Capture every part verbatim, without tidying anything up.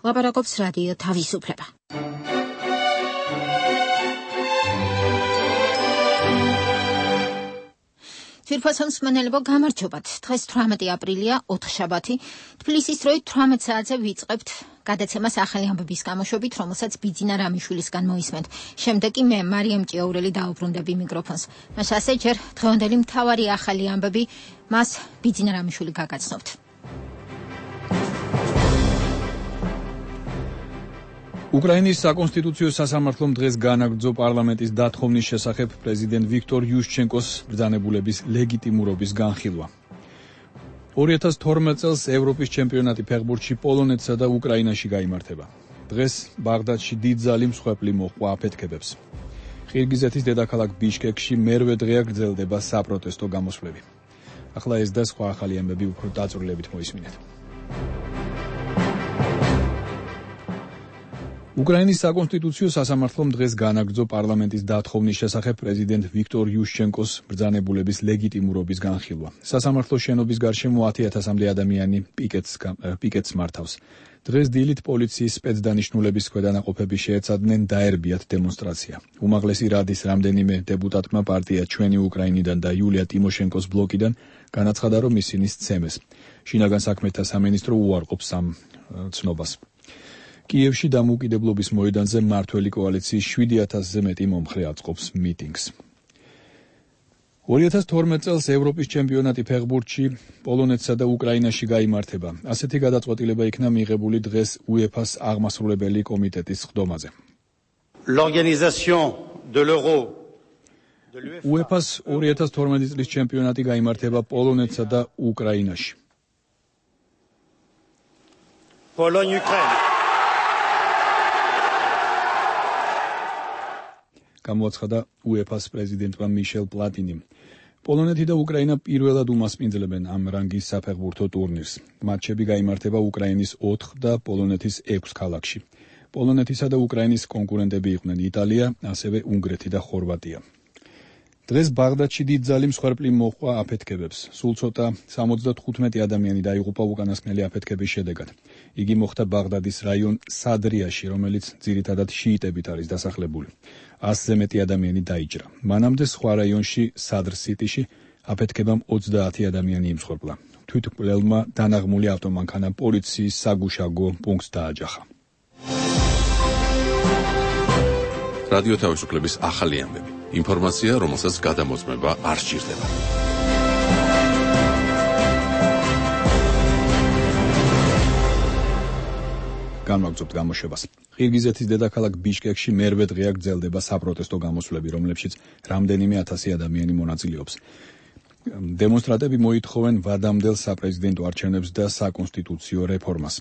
ლაპარაკობს რადიო თავისუფლება. თვირფასო მსმენელებო, გამარჯობათ. დღეს თვრამეტი აპრილია, ოთხშაბათი. თბილისის დროით თვრამეტ საათზე ვიწყებთ გადაცემას ახალი ამბების გამოშვებით, რომელსაც ბიძინა რამიშვილისგან მოისმენთ. შემდეგ კი მე, მარიამ ჭიაურელი, დაუბრუნდები მიკროფონს. მას ასე ჯერ დღევანდელი მთავარი ახალი ამბები, მას ბიძინა რამიშვილი გაგაცნობთ. უკრაინის საკონსტიტუციო სასამართლომ დღეს განაგრძო პარლამენტის დათხოვნის შესახებ პრეზიდენტ ვიქტორ იუშჩენკოს ბრძანებულების ლეგიტიმურობის განხილვა. ორი ათას თორმეტ წელს ევროპის ჩემპიონატი ფეხბურთში პოლონეთსა და უკრაინაში გაიმართება. დღეს ბაღდადში დიდძალი მსხვერპლი მოჰყვა აფეთქებებს. ყირგიზეთის დედაქალაქ ბიშკეკში მერვე დღეა გრძელდება საპროტესტო გამოსვლები. ახლა ეს და სხვა ახალი ამბები უფრო დაწვრილებით მოისმინეთ. უკრაინის საკონსტიტუციო სასამართლომ დღეს განაგრძო პარლამენტის დათხოვნის შესახებ პრეზიდენტ ვიქტორ იუშჩენკოს ბრძანებულების ლეგიტიმურობის განხილვა. სასამართლოს შენობის გარშემო ათი ათასამდე ადამიანი პიკეტს პიკეტს მართავს. დღეს დილით პოლიციის სპეცდანიშნულების ქვედანაყოფები შეეცადნენ დაერბიათ დემონსტრაცია. უმაღლესი რადის რამდენიმე დეპუტატმა პარტია ჩვენი უკრაინიდან და იულია ტიმოშენკოს ბლოკიდან განაცხადა, რომ ისინი სცემეს. შინაგან საქმეთა სამინისტრო უარყოფს ამ ცნობას. კიევში დამოუკიდებლობის მოედანზე მმართველი კოალიციის შვიდი ათასზე მეტი მომხრე აწყობს მიტინგს. ორი ათას თორმეტ წელს ევროპის ჩემპიონატი ფეხბურთში პოლონეთსა და უკრაინაში გაიმართება. ასეთი გადაწყვეტილება იქნა მიღებული დღეს უეფას აღმასრულებელი კომიტეტის სხდომაზე. უეფას ორი ათას თორმეტი წლის ჩემპიონატი გაიმართება პოლონეთსა და უკრაინაში. პოლონია-უკრაინა გამოაცხადა უეფას პრეზიდენტმა მიშელ პლატინიმ. პოლონეთი და უკრაინა პირველად უმასპინძლებენ ამ რანგის საფეხბურთო ტურნირს. მატჩები გაიმართება უკრაინის ოთხ და პოლონეთის ექვს ქალაქში. პოლონეთისა და უკრაინის კონკურენტები იყვნენ იტალია, ასევე უნგრეთი და ხორვატია. დღეს ბაღდადში დიდძალი მსხვერპლი მოჰყვა აფეთქებებს. სულ ცოტა სამოცდათხუთმეტი ადამიანი დაიღუპა უკანასკნელი აფეთქების შედეგად. იგი მოხდა ბაღდადის რაიონ სადრიაში, რომელიც ძირითადად შიიტებით არის დასახლებული. ასზე მეტი ადამიანი დაიჭრა. მანამდე სხვა რაიონში, სადრ-სიტიში, აფეთქებამ ოცდაათი ადამიანი იმსხვერპლა. თვითმკვლელმა დანაღმული ავტომანქანა პოლიციის საგუშაგო პუნქტს დააჯახა. რადიო თავისუფლების ახალი ამბები. ინფორმაცია, რომელსაც გადამოწმება არ სჭირდება. განვაგრძობთ გამოშვებას. ყირგიზეთის დედაქალაქ ბიშკეკში მერვე დღეა გრძელდება საპროტესტო გამოსვლები, რომლებშიც რამდენიმე ათასი ადამიანი მონაწილეობს. დემონსტრანტები მოითხოვენ ვადამდელ საპრეზიდენტო არჩევნებს და საკონსტიტუციო რეფორმას.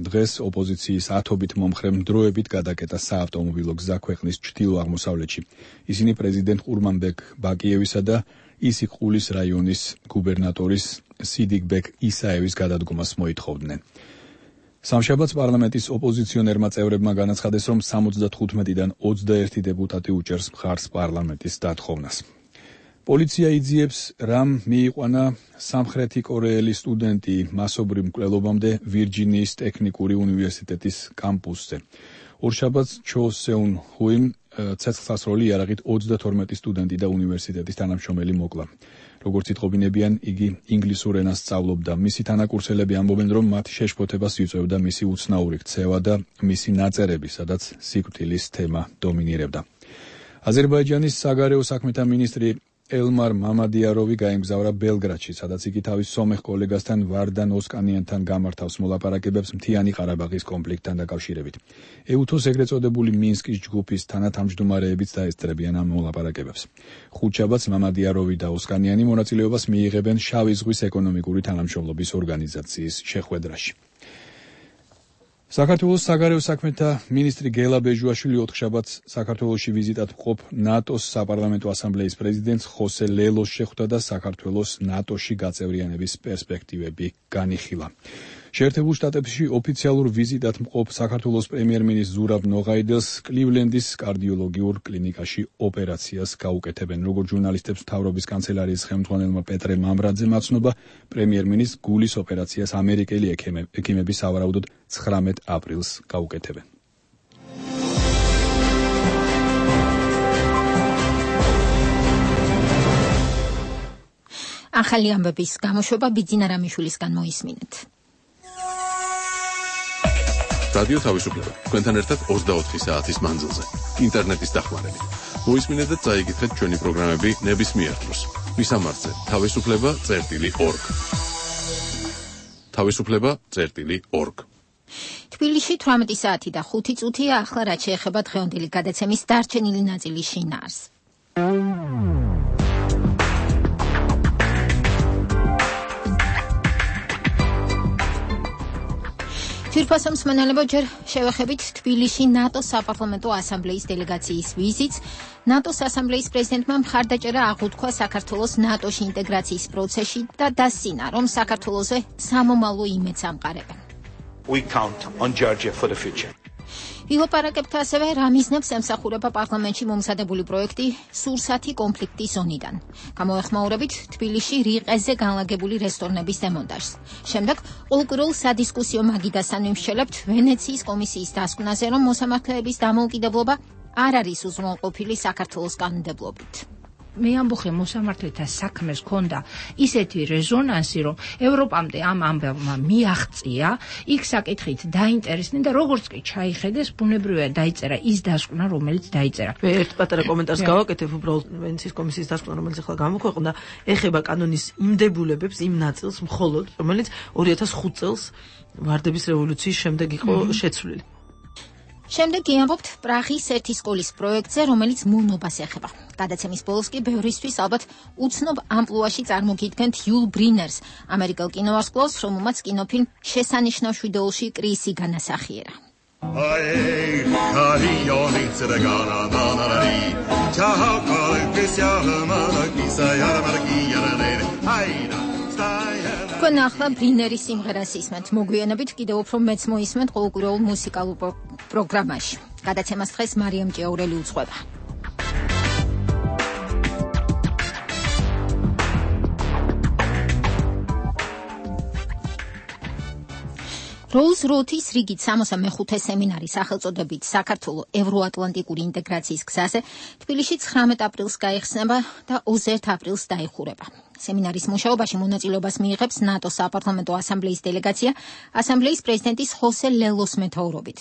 დღეს ოპოზიციის ათობით მომხრემ დროებით გადაკეტა საავტომობილო გზა ქვეყნის ჩრდილო-აღმოსავლეთში. ისინი პრეზიდენტ ყურმანბეკ ბაკიევისა და ისიქ-ყულის რაიონის გუბერნატორის სიდიკბეკ ისაევის გადადგომას მოითხოვდნენ. სამშაბათს პარლამენტის ოპოზიციონერმა წევრებმა განაცხადეს, რომ სამოცდათხუთმეტიდან ოცდაერთი დეპუტატი უჭერს მხარს პარლამენტის დათხოვნას. პოლიცია იძიებს, რამ მიიყვანა სამხრეთი კორეელი სტუდენტი მასობრივ მკვლელობამდე ვირჯინიის ტექნიკური უნივერსიტეტის კამპუსზე. ორშაბათს ჩო სეუნ ჰუიმ ცეცხლსასროლი იარაღით ოცდათორმეტი სტუდენტი და უნივერსიტეტის თანამშრომელი მოკლა. როგორც იტყობინებიან, იგი ინგლისურ ენას სწავლობდა. მისი თანაკურსელები ამბობენ, რომ მათ შეშფოთებას იწვევდა მისი უცნაური ქცევა და მისი ნაწერები, სადაც სიკვდილის თემა დომინირებდა. აზერბაიჯანის საგარეო საქმეთა მინისტრი ელმარ მამადიაროვი გაემგზავრა ბელგრადში, სადაც იგი თავის სომეხ კოლეგასთან ვარდან ოსკანიანთან გამართავს მოლაპარაკებებს მთიანი ყარაბაღის კონფლიქტთან დაკავშირებით. ეუთოს ეგრეთ წოდებული მინსკის ჯგუფის თანათავმჯდომარეებიც დაესწრებიან ამ მოლაპარაკებებს. ხუთშაბათს მამადიაროვი და ოსკანიანი მონაწილეობას მიიღებენ შავი ზღვის ეკონომიკური თანამშრომლობის ორგანიზაციის შეხვედრაში. საქართველოს საგარეო საქმეთა მინისტრი გელა ბეჟუაშვილი ოთხშაბათს საქართველოში ვიზიტად მყოფ ნატოს საპარლამენტო ასამბლეის პრეზიდენტს ხოსე ლელოს შეხვდა და საქართველოს ნატოში გაწევრიანების პერსპექტივები განიხილა. შეერთებულ შტატებში ოფიციალურ ვიზიტად მყოფ საქართველოს პრემიერ-მინისტრ ზურაბ ნოღაიდელს კლივლენდის კარდიოლოგიურ კლინიკაში ოპერაციას გაუკეთებენ. როგორც ჟურნალისტებს მთავრობის კანცელარიის ხელმძღვანელმა პეტრე მამრაძემ აცნობა, პრემიერ-მინისტრ გულის ოპერაციას ამერიკელი ექიმები სავარაუდოდ ცხრამეტ აპრილს გაუკეთებენ. ახალი ამბების გამოშვება ბიძინა რამიშვილისგან მოისმინეთ. რადიო თავისუფლება თქვენთან ერთად ოცდაოთხი საათის მანძილზე. ინტერნეტის დახმარებით. მოისმინეთ და წაიგეთ ჩვენი პროგრამები ნებისმიერ დროს. მისამართზე თავისუფლება წერტილი ორგ. თავისუფლება წერტილი ორგ. თბილისში თვრამეტი საათი და ხუთი წუთია. ახლა რაც შეეხება დღევანდელი გადაცემის დარჩენილი ნაწილის შინაარს. თირფასო მსმენელებო, ჯერ შევეხებით თბილისში ნატოს საპარლამენტო ასამბლეის დელეგაციის ვიზიტს. ნატოს ასამბლეის პრეზიდენტმა მხარდაჭერა აღუთქვა საქართველოს ნატოში ინტეგრაციის პროცესში და დასცინა, რომ საქართველოზე სამომავლო იმედს ამყარებენ. We count on Georgia for the future. ვილაპარაკებთ ასევე რა მიზნებს ემსახურება პარლამენტში მომზადებული პროექტი სურსათი კონფლიქტის ზონიდან. გამოეხმაურებით თბილისში რიყეზე განლაგებული რესტორნების დემონტაჟს. შემდეგ ყოველკვირეულ სადისკუსიო მაგიდასთან ვიმსჯელებთ ვენეციის კომისიის დასკვნაზე, რომ მოსამართლეების დამოუკიდებლობა არ არის უზრუნველყოფილი საქართველოს კანონმდებლობით. მე ამბობ მოსამართლეთა საქმეს ქონდა ისეთი რეზონანსი, რომ ევროპამდე ამ ამბავმა მიაღწია, იქ საკითხით დაინტერესდნენ და როგორც კი ჩაიხედეს, ბუნებრივია დაიწერა ის დასკვნა, რომელიც დაიწერა. მე ერთ პატარა კომენტარს გავაკეთებ, უბრალოდ ვენეციის კომისიის დასკვნა, რომელიც ახლა გამოქვეყნდა, ეხება კანონის იმ დებულებებს, იმ ნაწილს მხოლოდ, რომელიც ორი ათას ხუთ წელს ვარდების რევოლუციის შემდეგ იყო შეცვლილი. შემდეგ გიამბობთ პრაღის ერთი სკოლის პროექტზე, რომელიც მონობას ეხება. გადაცემის ბოლოს კი ბევრისთვის ალბათ უცნობ ამპლუაში წარმოგიდგენთ იულ ბრინერს, ამერიკელ კინოვარსკვლავს, რომელმაც კინოფილმ შესანიშნავ შვიდეულში კრისი განასახიერა. თქვენ ახლა ბრინერის სიმღერას ისმენთ. მოგვიანებით კიდევ უფრო მეც მოისმენთ ყოველკვირეულ მუსიკალურ პროგრამაში. გადაცემას დღეს მარიამ ჭიაურელი უძღვება. როუზ-როთის რიგით სამოცდამეხუთე სემინარი სახელწოდებით საქართველოს ევროატლანტიკური ინტეგრაციის გზაზე თბილისში ცხრამეტ აპრილს გაიხსნება და ოცდაერთ აპრილს დაიხურება. სემინარის მუშაობაში მონაწილეობას მიიღებს ნატოს საპარლამენტო ასამბლეის დელეგაცია ასამბლეის პრეზიდენტის ხოსე ლელოს მეთაურობით.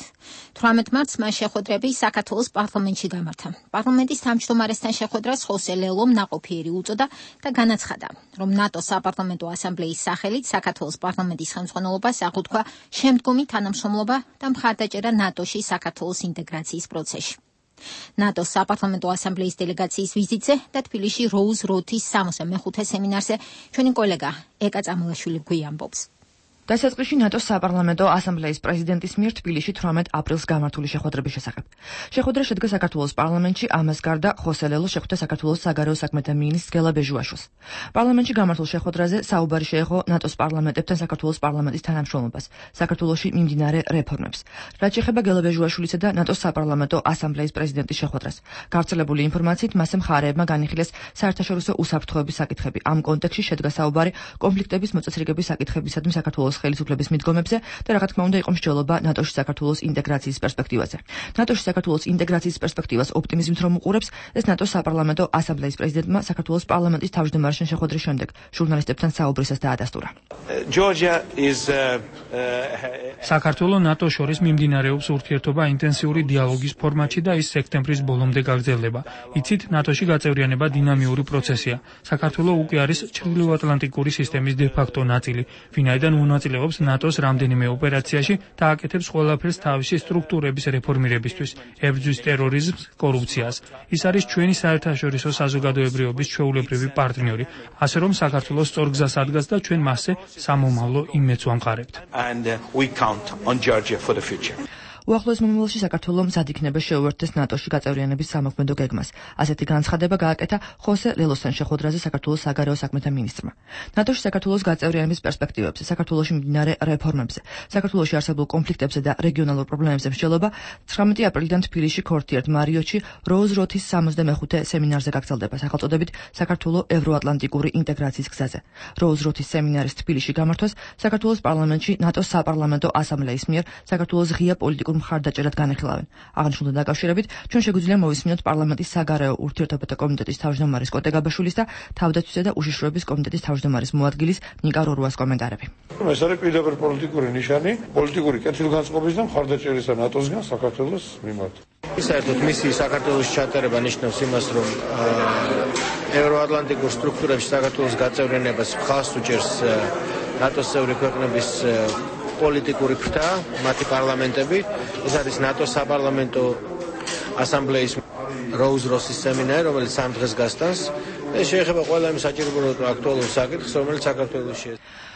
თვრამეტ მარტს მას შეხვედრები საქართველოს პარლამენტში გამართა. პარლამენტის თავმჯდომარესთან შეხვედრას ხოსე ლელომ ნაყოფიერი უწოდა და განაცხადა, რომ ნატოს საპარლამენტო ასამბლეის სახელით საქართველოს პარლამენტის ხელმძღვანელობას აღუთქვა შემდგომი თანამშრომლობა და მხარდაჭერა ნატოში საქართველოს ინტეგრაციის პროცესში. ნატოს საპარლამენტო ასამბლეის დელეგაციის ვიზიტზე და თბილისში როუზ-როთის სამოცდამეხუთე სემინარზე ჩვენი კოლეგა ეკა წამულაშვილი გვიამბობს. დასაწყისში ნატოს საპარლამენტო ასამბლეის პრეზიდენტის მიერ თბილისში თვრამეტ აპრილს გამართული შეხვედრების შესახებ. შეხვედრა შედგა საქართველოს პარლამენტში, ამას გარდა ხოსე ლელო შეხვდა საქართველოს საგარეო საქმეთა მინისტრს გელა ბეჟუაშვილს. პარლამენტში გამართულ შეხვედრაზე საუბარი შეეხო ნატოს პარლამენტებთან საქართველოს პარლამენტის თანამშრომლობას, საქართველოში მიმდინარე რეფორმებს. რაც შეეხება გელა ბეჟუაშვილისა და ნატოს საპარლამენტო ასამბლეის პრეზიდენტის შეხვედრას. გავრცელებული ინფორმაციით მასე მხარეებმა განიხილეს საერთაშორისო უსაფრთხოების საკითხები. ამ კონტექსტში შედგა საუბარი კონფლიქტების მოწესრიგების საკითხებისადმი საქართველოს ხელისუფლების მიდგომებზე და რა თქმა უნდა იყო მსჯელობა ნატოში საქართველოს ინტეგრაციის პერსპექტივაზე. ნატოში საქართველოს ინტეგრაციის პერსპექტივას ოპტიმიზმით რომ უყურებს, ეს ნატოს საპარლამენტო ასამბლეის პრეზიდენტმა საქართველოს პარლამენტის თავმჯდომარეთან შეხვედრის შემდეგ ჟურნალისტებთან საუბრისას დაადასტურა. საქართველოს ნატოს შორის მიმდინარეობს ურთიერთობა ინტენსიური დიალოგის ფორმატში და ის სექტემბრის ბოლომდე გაგრძელდება. იცით, ნატოში გაწევრიანება დინამიური პროცესია. საქართველოს უკვე არის ჩრდილოატლანტიკური სისტემის დე-ფაქტო ნაწილი, ვინაიდან მონაწილეობს ნატოს რამდენიმე ოპერაციაში და აკეთებს ყველაფერს თავისი სტრუქტურების რეფორმირებისთვის, ებრძვის ტერორიზმს, კორუფციას. ის არის ჩვენი საერთაშორისო საზოგადოებრიობის ჩვეულებრივი პარტნიორი, ასე რომ საქართველოს სწორ გზას ადგას და ჩვენ მასზე სამომავლო იმედს ვამყარებთ. უახლოეს მომავალში საქართველო მზად იქნება შეუერთდეს ნატოში გაწევრიანების სამოქმედო გეგმას. ასეთი განცხადება გააკეთა ხოსე ლელოსთან შეხვედრაზე საქართველოს საგარეო საქმეთა მინისტრმა. ნატოში საქართველოს გაწევრიანების პერსპექტივებზე, საქართველოში მიმდინარე რეფორმებზე, საქართველოში არსებულ კონფლიქტებზე და რეგიონალურ პრობლემებზე მსჯელობა ცხრამეტი აპრილიდან თბილისში ქორთიერთ მარიოტში როუზ-როთის სამოცდამეხუთე სემინარზე გაგრძელდება სახელწოდებით საქართველო ევროატლანტიკური ინტეგრაციის გზაზე. როუზ-როთის სემინარის თბილისში გამართვას საქართველოს პარლამენტში ნატოს საპარლამენტო ასამბლეის მიერ საქართველოს ღია პოლიტიკურ მხარდაჭერად განიხილავენ. აღნიშნულთან დაკავშირებით ჩვენ შეგვიძლია მოვისმინოთ პარლამენტის საგარეო ურთიერთობათა კომიტეტის თავმჯდომარის კოტე გაბაშვილის და თავდაცვისა და უშიშროების კომიტეტის თავმჯდომარის მოადგილის ნიკა რორუას კომენტარები. ეს არის პირდაპირ პოლიტიკური ნიშანი, პოლიტიკური კეთილგანწყობის და მხარდაჭერისა ნატოსგან საქართველოს მიმართ. საერთოდ მისი საქართველოს ჩატარება ნიშნავს იმას, რომ ევროატლანტიკურ სტრუქტურებში საქართველოს გაწევრიანებას მხარს უჭერს ნატოს წევრი ქვეყნების პოლიტიკური ფრთა, მათი პარლამენტები. ეს არის ნატოს საპარლამენტო ასამბლეის როუზ-როთის სემინარი, რომელიც სამ დღეს გასტანს. ეს შეეხება ყველა იმ საჭირო აქტუალურ საკითხს, რომელიც საქართველოში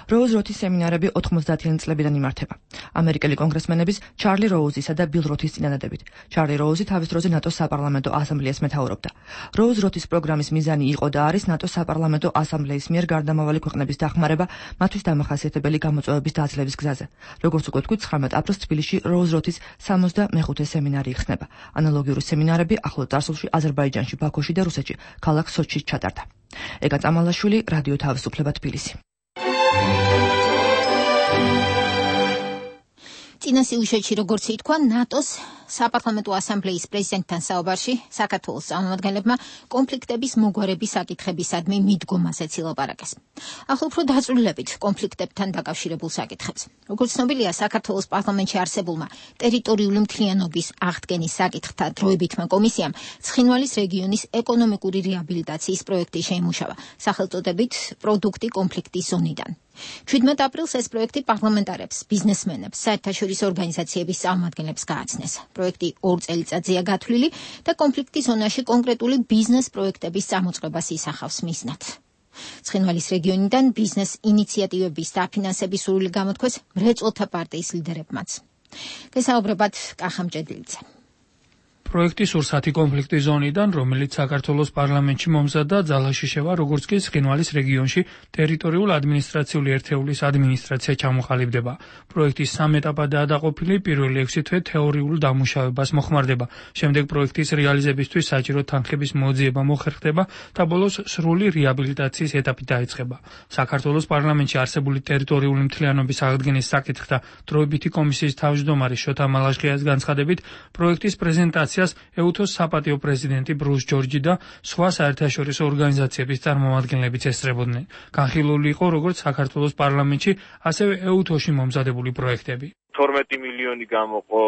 როუზ-როთის სემინარები ოთხმოცდაათიანი წლებიდან იმართება. ამერიკელი კონგრესმენების ჩარლი როუზისა და ბილ როთის წინადადებით. ჩარლი როუზი თავის დროზე ნატოს საპარლამენტო ასამბლეას მეთაურობდა. როუზ-როთის პროგრამის მიზანი იყო და არის ნატოს საპარლამენტო ასამბლეის მიერ გარდამავალი ქვეყნების დახმარება მათთვის დამახასიათებელი გამოწვევების დაძლევის გზაზე. როგორც უკვე თქვით, ცხრამეტ აპრილს თბილისში როუზ-როთის სამოცდამეხუთე სემინარი იხსნება. ანალოგიური სემინარები ახლო წარსულში აზერბაიჯანში, ბაქოში და რუსეთში, ქალაქ სოჩში ჩატარდა. ეკა წამალაშვილი, რადიო თავისუფლება, თბილისი. წინა სიუჟეტში, როგორც ითქვა, ნატოს საპარლამენტო ასამბლეის პრეზიდენტთან საუბარში საქართველოს წარმომადგენლებმა კონფლიქტების მოგვარების საკითხებისადმი მიდგომაზეც ილაპარაკეს. ახლა უფრო დაწვრილებით კონფლიქტებთან დაკავშირებულ საკითხებს. როგორც ცნობილია, საქართველოს პარლამენტში არსებულმა ტერიტორიული მთლიანობის აღდგენის საკითხთა დროებითმა კომისიამ ცხინვალის რეგიონის ეკონომიკური რეაბილიტაციის პროექტი შეიმუშავა, სახელწოდებით პროდუქტი კონფლიქტის ზონიდან. შვიდმეტ აპრილს ეს პროექტი პარლამენტარებს, ბიზნესმენებს, საერთაშორისო ორგანიზაციების წარმომადგენლებს გააცნეს. პროექტი ორ წელიწადზეა გათვლილი და კონფლიქტის ზონაში კონკრეტული ბიზნეს პროექტების წამოწყებას ისახავს მიზნად. ცხინვალის რეგიონიდან ბიზნეს ინიციატივების დაფინანსების სურვილი გამოთქვეს მრეწველთა პარტიის ლიდერებმაც. გესაუბრებათ კახა მჭედლიძე. პროექტი სურსათი კონფლიქტის ზონიდან, რომელიც საქართველოს პარლამენტში მომზადდა, ძალაში შევა, როგორც კი ცხინვალის რეგიონში ტერიტორიულ ადმინისტრაციული ერთეულის ადმინისტრაცია ჩამოყალიბდება. პროექტის სამ ეტაპადაა დაყოფილი, პირველი ექვსი თვე თეორიულ დამუშავებას მოხმარდება, შემდეგ პროექტის რეალიზებისთვის საჭირო თანხების მოძიება მოხერხდება და ბოლოს სრული რეაბილიტაციის ეტაპი დაიწყება. საქართველოს პარლამენტში არსებული ტერიტორიული მთლიანობის აღდგენის საკითხთა დროებითი კომისიის თავმჯდომარის შოთა მალაშხიას განცხადებით, პროექტის პრეზენტაციას ეუთოს საპატიო პრეზიდენტი ბრუს ჯორჯი და სხვა საერთაშორისო ორგანიზაციების წარმომადგენლებიც ესწრებოდნენ. განხილული იყო როგორც საქართველოს პარლამენტში, ასევე ეუთოში მომზადებული პროექტები. თორმეტი მილიონი გამოყო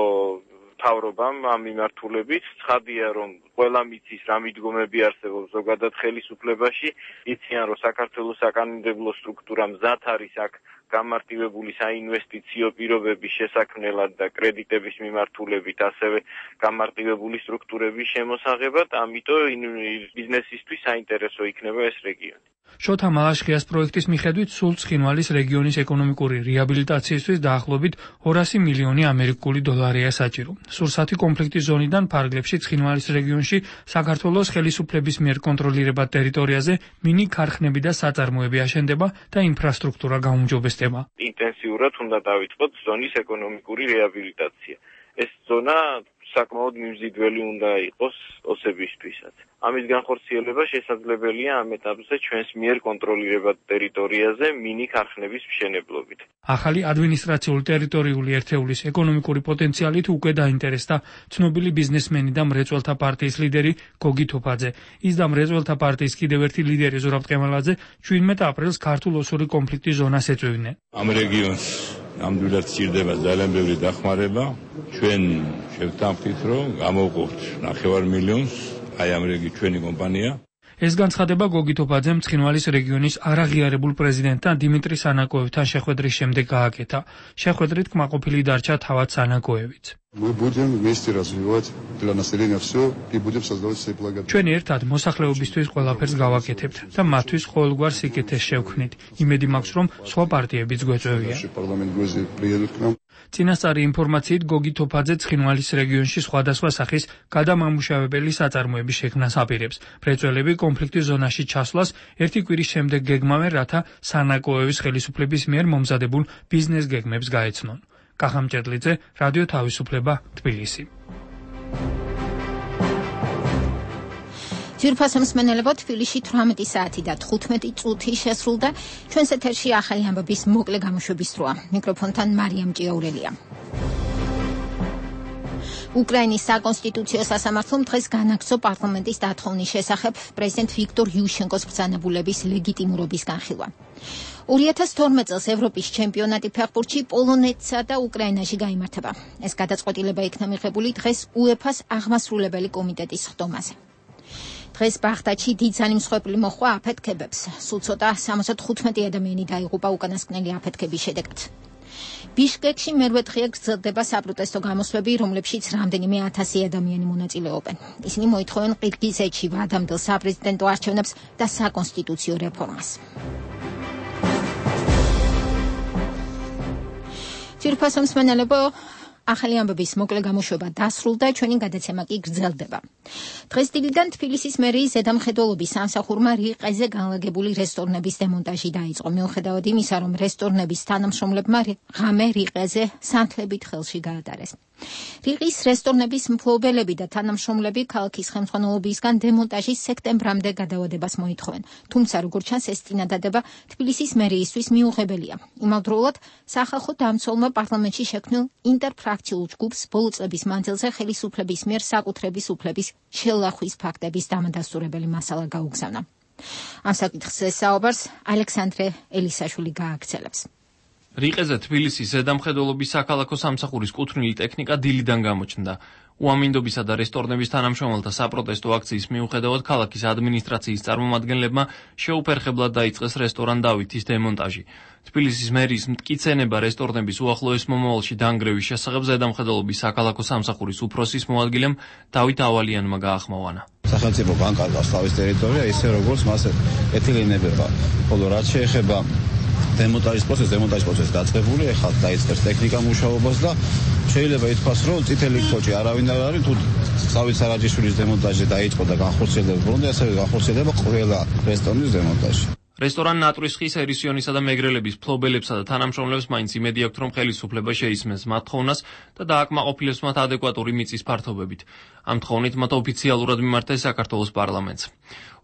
მთავრობამ ამ მიმართულებით. ცხადია, რომ ყველა მიცის რა მიდგომები არსებობს ზოგადად ხელისუფლებაში, იციან, რომ საქართველოს საკანონმდებლო სტრუქტურა მზად არის აქ გამარტივებული საინვესტიციო პირობების შესაქმნელად და კრედიტების მიმართულებით, ასევე გამარტივებული სტრუქტურების შემოსაღებად, ამიტომ ბიზნესისთვის საინტერესო იქნება ეს რეგიონი. შოთა მალაშხიას პროექტის მიხედვით სულ ცხინვალის რეგიონის ეკონომიკური რეაბილიტაციისთვის დაახლოებით ორასი მილიონი ამერიკული დოლარია საჭირო. სურსათი კონფლიქტის ზონიდან ფარგლებში ცხინვალის რეგიონში საქართველოს ხელისუფლების მიერ კონტროლირებად ტერიტორიაზე მინი ქარხნები და საწარმოები აშენდება და ინფრასტრუქტურა გაუმჯობესდება. ინტენსიურად უნდა დავიწყოთ ზონის ეკონომიკური რეაბილიტაცია. ეს ზონა საკმაოდ მიმზიდველი უნდა იყოს ოსებისთვისაც. ამის განხორციელება შესაძლებელია ამ ეტაპზე ჩვენს მიერ კონტროლირებად ტერიტორიაზე მინი ქარხნების მშენებლობით. ახალი ადმინისტრაციული ტერიტორიული ერთეულის ეკონომიკური პოტენციალით უკვე დაინტერესდა ცნობილი ბიზნესმენი და მრეწველთა პარტიის ლიდერი გოგი თოფაძე. ის და მრეწველთა პარტიის კიდევ ერთი ლიდერი ზურაბ ტყემალაძე შვიდმეტ აპრილს ქართულ-ოსური კონფლიქტის ზონას ეწვევდნენ. ამ რეგიონს ნამდვილად სჭირდება ძალიან ბევრი დახმარება. ჩვენ შევთანხმდით, რომ გამოვყოფთ ნახევარ მილიონს აი ამ რეგი ჩვენი კომპანია. ეს განცხადება გოგი თოფაძემ ცხინვალის რეგიონის არაღიარებულ პრეზიდენტთან დიმიტრი სანაკოევთან შეხვედრის შემდეგ გააკეთა. შეხვედრით კმაყოფილი დარჩა თავად სანაკოევიც. ჩვენ ერთად მოსახლეობისთვის ყველაფერს გავაკეთებთ და მათთვის ყოველგვარ სიკეთეს შევქმნით. იმედი მაქვს, რომ სხვა პარტიებიც გვეწევიან. წინასწარი ინფორმაციით გოგი თოფაძე ცხინვალის რეგიონში სხვადასხვა სახის გადამამუშავებელი საწარმოების შექმნას აპირებს. მრეწველები კონფლიქტის ზონაში ჩასვლას ერთი კვირის შემდეგ გეგმავენ, რათა სანაკოევის ხელისუფლების მიერ მომზადებულ ბიზნეს გეგმებს გაეცნონ. კახამჭერლიძე, რადიო თავისუფლება, თბილისი. ძვირფასო მსმენელებო, თბილისში თვრამეტი საათი და თხუთმეტი წუთი შესრულდა. ჩვენს ეთერში ახალი ამბების მოკლე გამოშვების დროა. მიკროფონთან მარიამ ჭიაურელია. უკრაინის საკონსტიტუციო სასამართლომ დღეს განაგრძო პარლამენტის დათხოვნის შესახებ პრეზიდენტ ვიქტორ იუშენკოს ბრძანებულების ლეგიტიმურობის განხილვა. ორი ათას თორმეტ წელს ევროპის ჩემპიონატი ფეხბურთში პოლონეთსა და უკრაინაში გაიმართება. ეს გადაწყვეტილება იქნა მიღებული დღეს უეფას აღმასრულებელი კომიტეტის ხდომაზე. დღეს ბაღდადში დიდძალი მსხვერპლი მოჰყვა აფეთქებებს. სულ ცოტა სამოცდ თხუთმეტი ადამიანი დაიღუპა უკანასკნელი აფეთქების შედეგად. ბიშკეკში მერვე დღეა გრძელდება საპროტესტო გამოსვლები, რომლებშიც რამდენიმე ათასი ადამიანი მონაწილეობენ. ისინი მოითხოვენ ყირგიზეთში ვადამდელ საპრეზიდენტო არჩევნებს და საკონსტიტუციო რეფორმას. ძვირფასო მსმენელებო, ახალი ამბების მოკლე გამოშვება დასრულდა, ჩვენი გადაცემა კი გრძელდება. დღეს დილიდან თბილისის მერიის ზედამხედველობის სამსახურმა რიყეზე განლაგებული რესტორნების დემონტაჟი დაიწყო. მიუხედავად იმისა, რომ რესტორნების თანამშრომლებმა ღამე რიყეზე სანთლებით ხელში გაატარეს. რიყის რესტორნების მფლობელები და თანამშრომლები ქალაქის ხელმძღვანელობისგან დემონტაჟის სექტემბრამდე გადავადებას მოითხოვენ. თუმცა, როგორც ჩანს, ეს წინადადება თბილისის მერიისთვის მიუღებელია. იმავდროულად, სახალხო დამცველმა პარლამენტში შექმნილ ინტერფრაქციულ ჯგუფს ბოლო წლების მანძილზე ხელისუფლების მიერ საკუთრების უფლების შელახვის ფაქტების დამადასტურებელი მასალა გაუგზავნა. ამ საკითხზე საუბარს ალექსანდრე ელისაშვილი გააგრძელებს. რიყეზე თბილისის ზედამხედველობის საქალაქო სამსახურის კუთვნილი ტექნიკა დილიდან გამოჩნდა. უამინდობისა და რესტორნების თანამშრომელთა საპროტესტო აქციის მიუხედავად ქალაქის ადმინისტრაციის წარმომადგენლებმა შეუფერხებლად დაიწყეს რესტორან დავითის დემონტაჟი. თბილისის მერიის მტკიცენება რესტორნების უახლოეს მომავალში დანგრევის შესახებ ზედამხედველობის საქალაქო სამსახურის უფროსის მოადგილემ დავით ავალიანმა გაახმოვანა. სახელმწიფო განკარგავს თავის ტერიტორია ისე როგორც მას ეთილინებება. ხოლო რაც შეეხება დემონტაჟის პროცესს, დემონტაჟის პროცესი დაწყებული, ეხლა დაიწყეს ტექნიკა მუშაობას და შეიძლება ითქვას, რომ წითელი ქოჭი არავინ არ არის, თუ დავით სარაჯიშვილის დემონტაჟი დაიწყო და განხორციელდება ბოლომდე, ასევე განხორციელდება ყველა რესტორნის დემონტაჟი. რესტორან ნატრის ხის ერისიონისა და მეგრელების ფლობელებსა და თანამშრომლებს მაინც იმედი აქვთ, რომ ხელისუფლება შეისმენს მათ თხოვნას და დააკმაყოფილებს მათ ადეკვატური მიწის ფართობებით. ამ თხოვნით მათ ოფიციალურად მიმართეს საქართველოს პარლამენტს.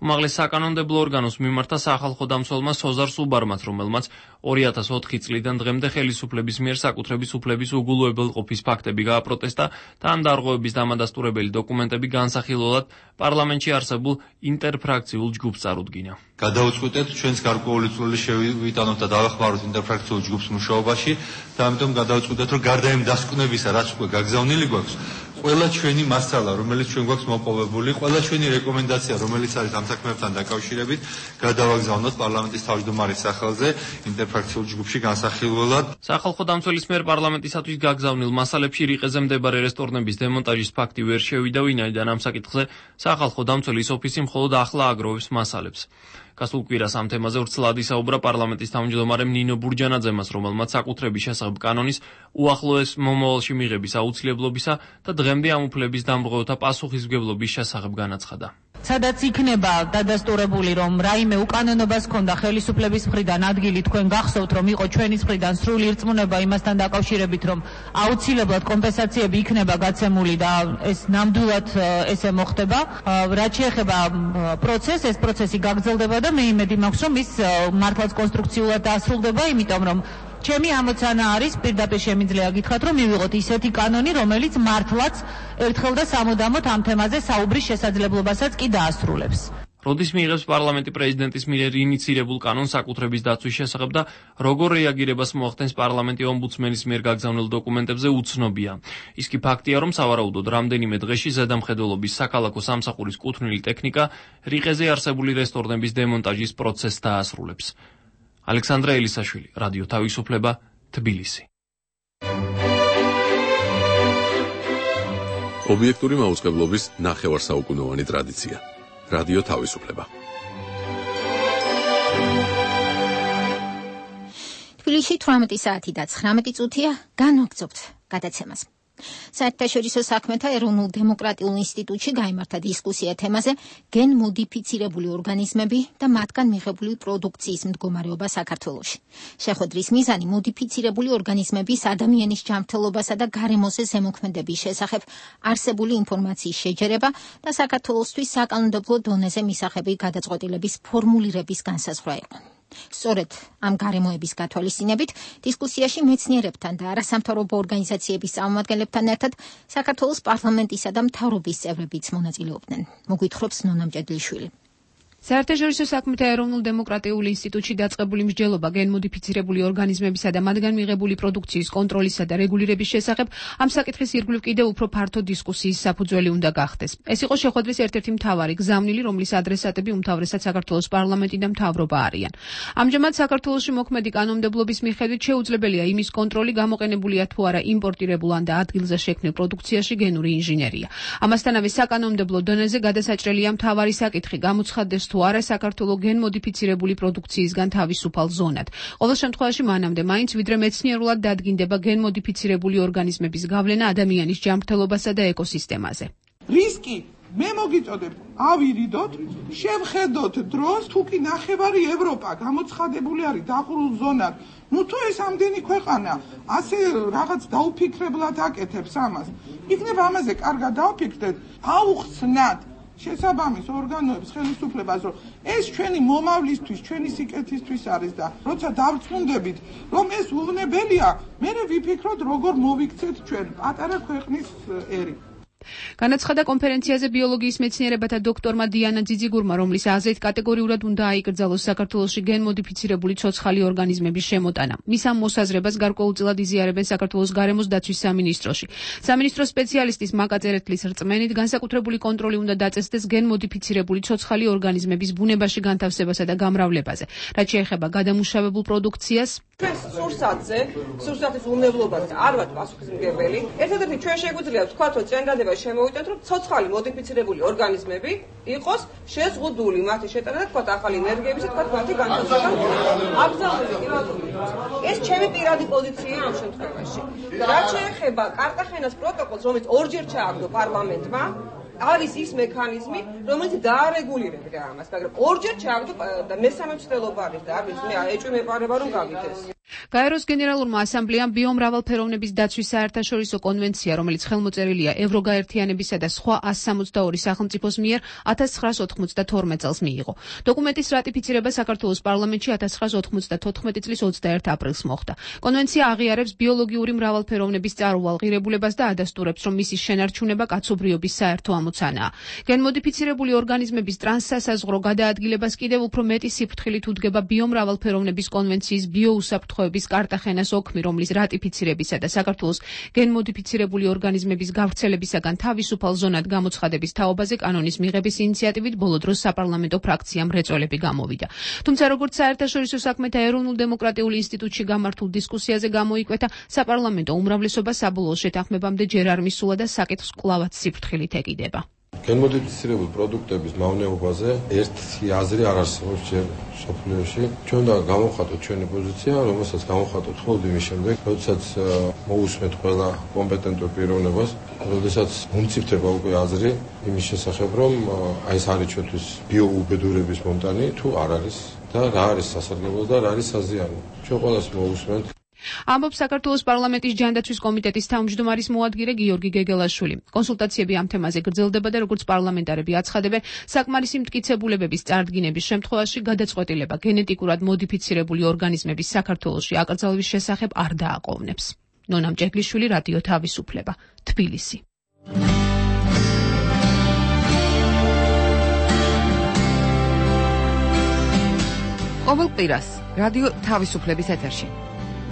უმაღლეს საკანონმდებლო ორგანოს მიმართა სახალხო დამცველმა სოზარ სუბარმაც, რომელმაც ორი ათას ოთხი წლიდან დღემდე ხელისუფლების მიერ საკუთრების უფლების უგულოებელყოფის ფაქტები გააპროტესტა და ამ დარღვევების დამადასტურებელი დოკუმენტები განსახილველად პარლამენტში არსებულ ინტერფრაქციულ ჯგუფს წარუდგინა. გადავწყვეტეთ ჩვენს გარკვეული წვლილი შევიტანოთ და დავეხმაროთ ინტერფრაქციულ ჯგუფს მუშაობაში და ამიტომ გადავწყვეტეთ, რომ გარდა იმ დასკვნებისა, რაც უკვე გაგზავნილი გვაქვს, ყველა ჩვენი მასალა, რომელიც ჩვენ გვაქვს მოპოვებული, ყველა ჩვენი რეკომენდაცია, რომელიც არის ამ საქმეებთან დაკავშირებით, გადავაგზავნოთ პარლამენტის თავმჯდომარის სახელზე ინტერფრაქციულ ჯგუფში განსახილველად. სახალხო დამცველის მიერ პარლამენტისათვის გაგზავნილ მასალებში რიყეზე მდებარე რესტორნების დემონტაჟის ფაქტი ვერ შევიდა, ვინაიდან ამ საკითხზე სახალხო დამცველის ოფისი მხოლოდ ახლა აგროვებს მასალებს. გასულ კვირას ამ თემაზე ვრცლად ისაუბრა პარლამენტის თავმჯდომარემ ნინო ბურჯანაძემას, რომელმაც საკუთრების შესახებ კანონის უახლოეს მომავალში მიღების აუცილებლობისა და დღემდე ამ უფლების დამრღვევთა პასუხისმგებლობის შესახებ განაცხადა. სადაც იქნება დადასტურებული, რომ რაიმე უკანონობას ჰქონდა ხელისუფლების მხრიდან ადგილი, თქვენ გახსოვთ, რომ იყო ჩვენი მხრიდან სრული ირწმუნება იმასთან დაკავშირებით, რომ აუცილებლად კომპენსაციები იქნება გაცემული და ეს ნამდვილად ესე მოხდება. რაც შეეხება პროცესს, ეს პროცესი გაგრძელდება და მე იმედი მაქვს, რომ ის მართლაც კონსტრუქციულად დასრულდება, იმიტომ რომ ჩემი ამოცანა არის, პირდაპირ შემიძლია გითხრათ, რომ მივიღოთ ისეთი კანონი, რომელიც მართლაც ერთხელ და სამუდამოდ ამ თემაზე საუბრის შესაძლებლობასაც კი დაასრულებს. როდის მიიღებს პარლამენტი პრეზიდენტის მიერ ინიცირებულ კანონს საკუთრების დაცვის შესახებ და როგორ რეაგირებას მოახდენს პარლამენტი ომბუდსმენის მიერ გაგზავნილ დოკუმენტებზე უცნობია. ის კი ფაქტია, რომ სავარაუდოდ რამდენიმე დღეში ზედამხედველობის საქალაქო სამსახურის კუთვნილი ტექნიკა რიყეზე არსებული რესტორნების დემონტაჟის პროცესს დაასრულებს. ალექსანდრე ელისაშვილი, რადიო თავისუფლება, თბილისი. ობიექტური მაუწყებლობის ნახევარსაუკუნოვანი ტრადიცია. რადიო თავისუფლება. თბილისში თვრამეტი საათი და ცხრამეტი წუთია განვაგრძობთ გადაცემას. საერთაშორისო საქმეთა ეროვნულ დემოკრატიულ ინსტიტუტში გაიმართა დისკუსია თემაზე გენმოდიფიცირებული ორგანიზმები და მათგან მიღებული პროდუქციის მდგომარეობა საქართველოში. შეხვედრის მიზანი მოდიფიცირებული ორგანიზმების ადამიანის ჯანმრთელობასა და გარემოზე ზემოქმედების შესახებ არსებული ინფორმაციის შეჯერება და საქართველოსთვის საკანონმდებლო დონეზე მისაღები გადაწყვეტილების ფორმულირების განსაზღვრა იყო. სწორედ ამ გარემოების გათვალისწინებით დისკუსიაში მეცნიერებთან და არასამთავრობო ორგანიზაციების წარმომადგენლებთან ერთად საქართველოს პარლამენტისა და მთავრობის წევრებიც მონაწილეობდნენ. მოგვითხრობს ნონა მჭედლიშვილი. საერთაშორისო საქმეთა ეროვნულ დემოკრატიულ ინსტიტუტში დაწყებული მსჯელობა გენმოდიფიცირებული ორგანიზმებისა და მათგან მიღებული პროდუქციის კონტროლისა და რეგულირების შესახებ ამ საკითხის ირგვლივ კიდევ უფრო ფართო დისკუსიის საფუძველი უნდა გახდეს. ეს იყო შეხვედრის ერთ-ერთი მთავარი გზავნილი, რომლის ადრესატები უმთავრესად საქართველოს პარლამენტი და მთავრობა არიან. ამჟამად საქართველოში მოქმედი კანონმდებლობის მიხედვით შეუძლებელია იმის კონტროლი, გამოყენებულია თუ არა იმპორტირებულ ან და ადგილზე შექმნილ პროდუქციაში გენური ინჟინერია. ამასთანავე საკანონმდებლო დონეზე გადასაჭრელია მთავარი საკითხი, გამოცხადდეს თუ არა საქართველოს გენმოდიფიცირებული პროდუქციისგან თავისუფალ ზონად. ყოველ შემთხვევაში მანამდე მაინც ვიდრე მეცნიერულად დადგინდება გენმოდიფიცირებული ორგანიზმების გავლენა ადამიანის ჯანმრთელობასა და ეკოსისტემაზე. რისკი მე მოგიწოდებ ავირიდოთ, შევხედოთ დროს, თუ კი ნახევარი ევროპა გამოცხადებული არის დაღურულ ზონად. ნუ თუ ეს ამდენი ქვეყანა ასე რაღაც დაუფიქრებლად აკეთებს ამას, იქნება ამაზე კარგად დავფიქრდეთ, აუხსნათ შესაბამის ორგანოებს ხელისუფლებას, რომ ეს ჩვენი მომავლისთვის, ჩვენი სიკეთისთვის არის და როცა დავწმუნდებით, რომ ეს უვნებელია, მე ვიფიქროთ, როგორ მოვიქცეთ ჩვენ პატარა ქვეყნის ერი. განაცხადა კონფერენციაზე ბიოლოგიის მეცნიერებათა დოქტორმა დიანა ძიძიგურმა, რომლის აზრით კატეგორიურად უნდა აიკრძალოს საქართველოში გენმოდიფიცირებული ცოცხალი ორგანიზმების შემოტანა. მის ამ მოსაზრებას გარკვეულწილად იზიარებენ საქართველოს გარემოს დაცვის სამინისტროში. სამინისტრო სპეციალისტის მაკა წერეთლის რწმენით, განსაკუთრებული კონტროლი უნდა დაწესდეს გენმოდიფიცირებული ცოცხალი ორგანიზმების ბუნებაში განთავსებასა და გამრავლებაზე. რაც შეეხება გადამუშავებულ პროდუქციას, ჩვენ სურსათზე, სურსათის უვნებლობაზე არ ვართ პასუხისმგებელი. ერთადერთი ჩვენ შეგვიძლია ვთქვათ, რომ წინადადება შემოვიდეთ, რომ ცოცხალი მოდიფიცირებული ორგანიზმები იყოს შეზღუდული მათი შეტანა და თქვათ ახალი ენერგიების, თქვათ მათი განთავსება. აბსოლუტურად იმატური. ეს ჩემი პირადი პოზიციაა ამ შემთხვევაში. რაც შეეხება კარტახენას პროტოკოლს, რომელიც ორჯერ ჩააგდო პარლამენტმა, არის ის მექანიზმი, რომელიც დაარეგულირებდა ამას, მაგრამ ორჯერ ჩააგდო და მესამე მცდელობა არის და არის მე ეჭვი მეპარება რომ გავიდეს. გაეროს გენერალურმა ასამბლეამ ბიომრავალფეროვნების დაცვის საერთაშორისო კონვენცია, რომელიც ხელმოწერილია ევროგაერთიანებისა და სხვა ას სამოცდაორი სახელმწიფოს მიერ ათას ცხრაას ოთხმოცდათორმეტ წელს მიიღო. დოკუმენტის რატიფიცირება საქართველოს პარლამენტში ათას ცხრაას ოთხმოცდათოთხმეტი წლის ოცდაერთი აპრილს მოხდა. კონვენცია აღიარებს ბიოლოგიური მრავალფეროვნების წარუვალ ღირებულებას და ადასტურებს, რომ მისი შენარჩუნება კაცობრიობის საერთო ამოცანაა. გენმოდიფიცირებული ორგანიზმების ტრანსსასაზღვრო გადაადგილებას კიდევ უფრო მეტი სიფრთხილით უდგება ბიომრავალფეროვნების კონვენციის ბიოუსაფრთხო კარტახენას ოქმი, რომლის რატიფიცირებისა და საქართველოს გენმოდიფიცირებული ორგანიზმების გავრცელებისაგან თავისუფალ ზონად გამოცხადების თაობაზე კანონის მიღების ინიციატივით ბოლო დროს საპარლამენტო ფრაქციამ მრეწველები გამოვიდა. თუმცა როგორც საერთაშორისო საქმეთა ეროვნულ დემოკრატიულ ინსტიტუტში გამართულ დისკუსიაზე გამოიკვეთა, საპარლამენტო უმრავლესობა საბოლოო შეთანხმებამდე ჯერ არ მისულა და საკითხს კვლავაც სიფრთხილით ეკიდება. გენმოდიფიცირებული პროდუქტების მავნეობაზე ერთი აზრი არ არსებობს ჯერ სოფლიოში. ჩვენ უნდა გავამხატოთ ჩვენი პოზიცია, რომელსაც გავამხატოთ მხოლოდ იმის შემდეგ, როდესაც მოусმეთ ყველა კომპეტენტურ პიროვნებას, როდესაც მომცირდება უკვე აზრი იმის შესახებ, რომ აი ეს არის ჩვენთვის ბიოუბედურების მომტანი თუ არ არის და რა არის სასარგებლო და რა არის საზიანო. ჩვენ ყველას მოусმენთ. ამბობს საქართველოს პარლამენტის ჯანდაცვის კომიტეტის თავმჯდომარის მოადგილე გიორგი გეგელაშვილი. კონსულტაციები ამ თემაზე გრძელდება და როგორც პარლამენტარები აცხადებენ, საკმარისი მტკიცებულებების წარდგინების შემთხვევაში გადაწყვეტილება გენეტიკურად მოდიფიცირებული ორგანიზმების საქართველოში აკრძალვის შესახებ არ დააყოვნებს. ნონა მჭედლიშვილი, რადიო თავისუფლება, თბილისი. ყოველ კვირას რადიო თავისუფლების ეთერში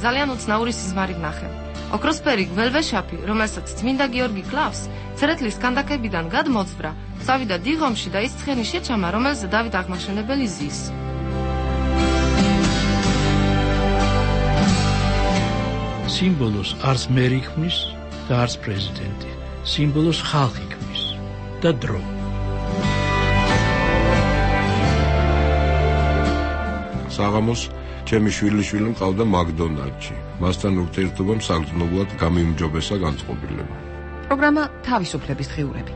ძალიან უცნაური სიზმარი ვნახე. ოქროსფერი გველვეშაპი, რომელსაც წმინდა გიორგი კლავს, ცერეთლის კანდაკებიდან გადმოძვრა, წავიდა დიღომში და ის ცხენი შეჩამა, რომელზე დავით აღმაშენებელი ზის. სიმბოლოს არც მერი ქმნის და არც პრეზიდენტი. სიმბოლოს ხალხი ქმნის და დრო. საღამოს ჩემი შვილიშვილი მყავდა მაკდონალდში. მასთან ურთიერთობამ საგრძნობლად გამიმჯობესა განწყობილება. პროგრამა თავისუფლების დღიურები.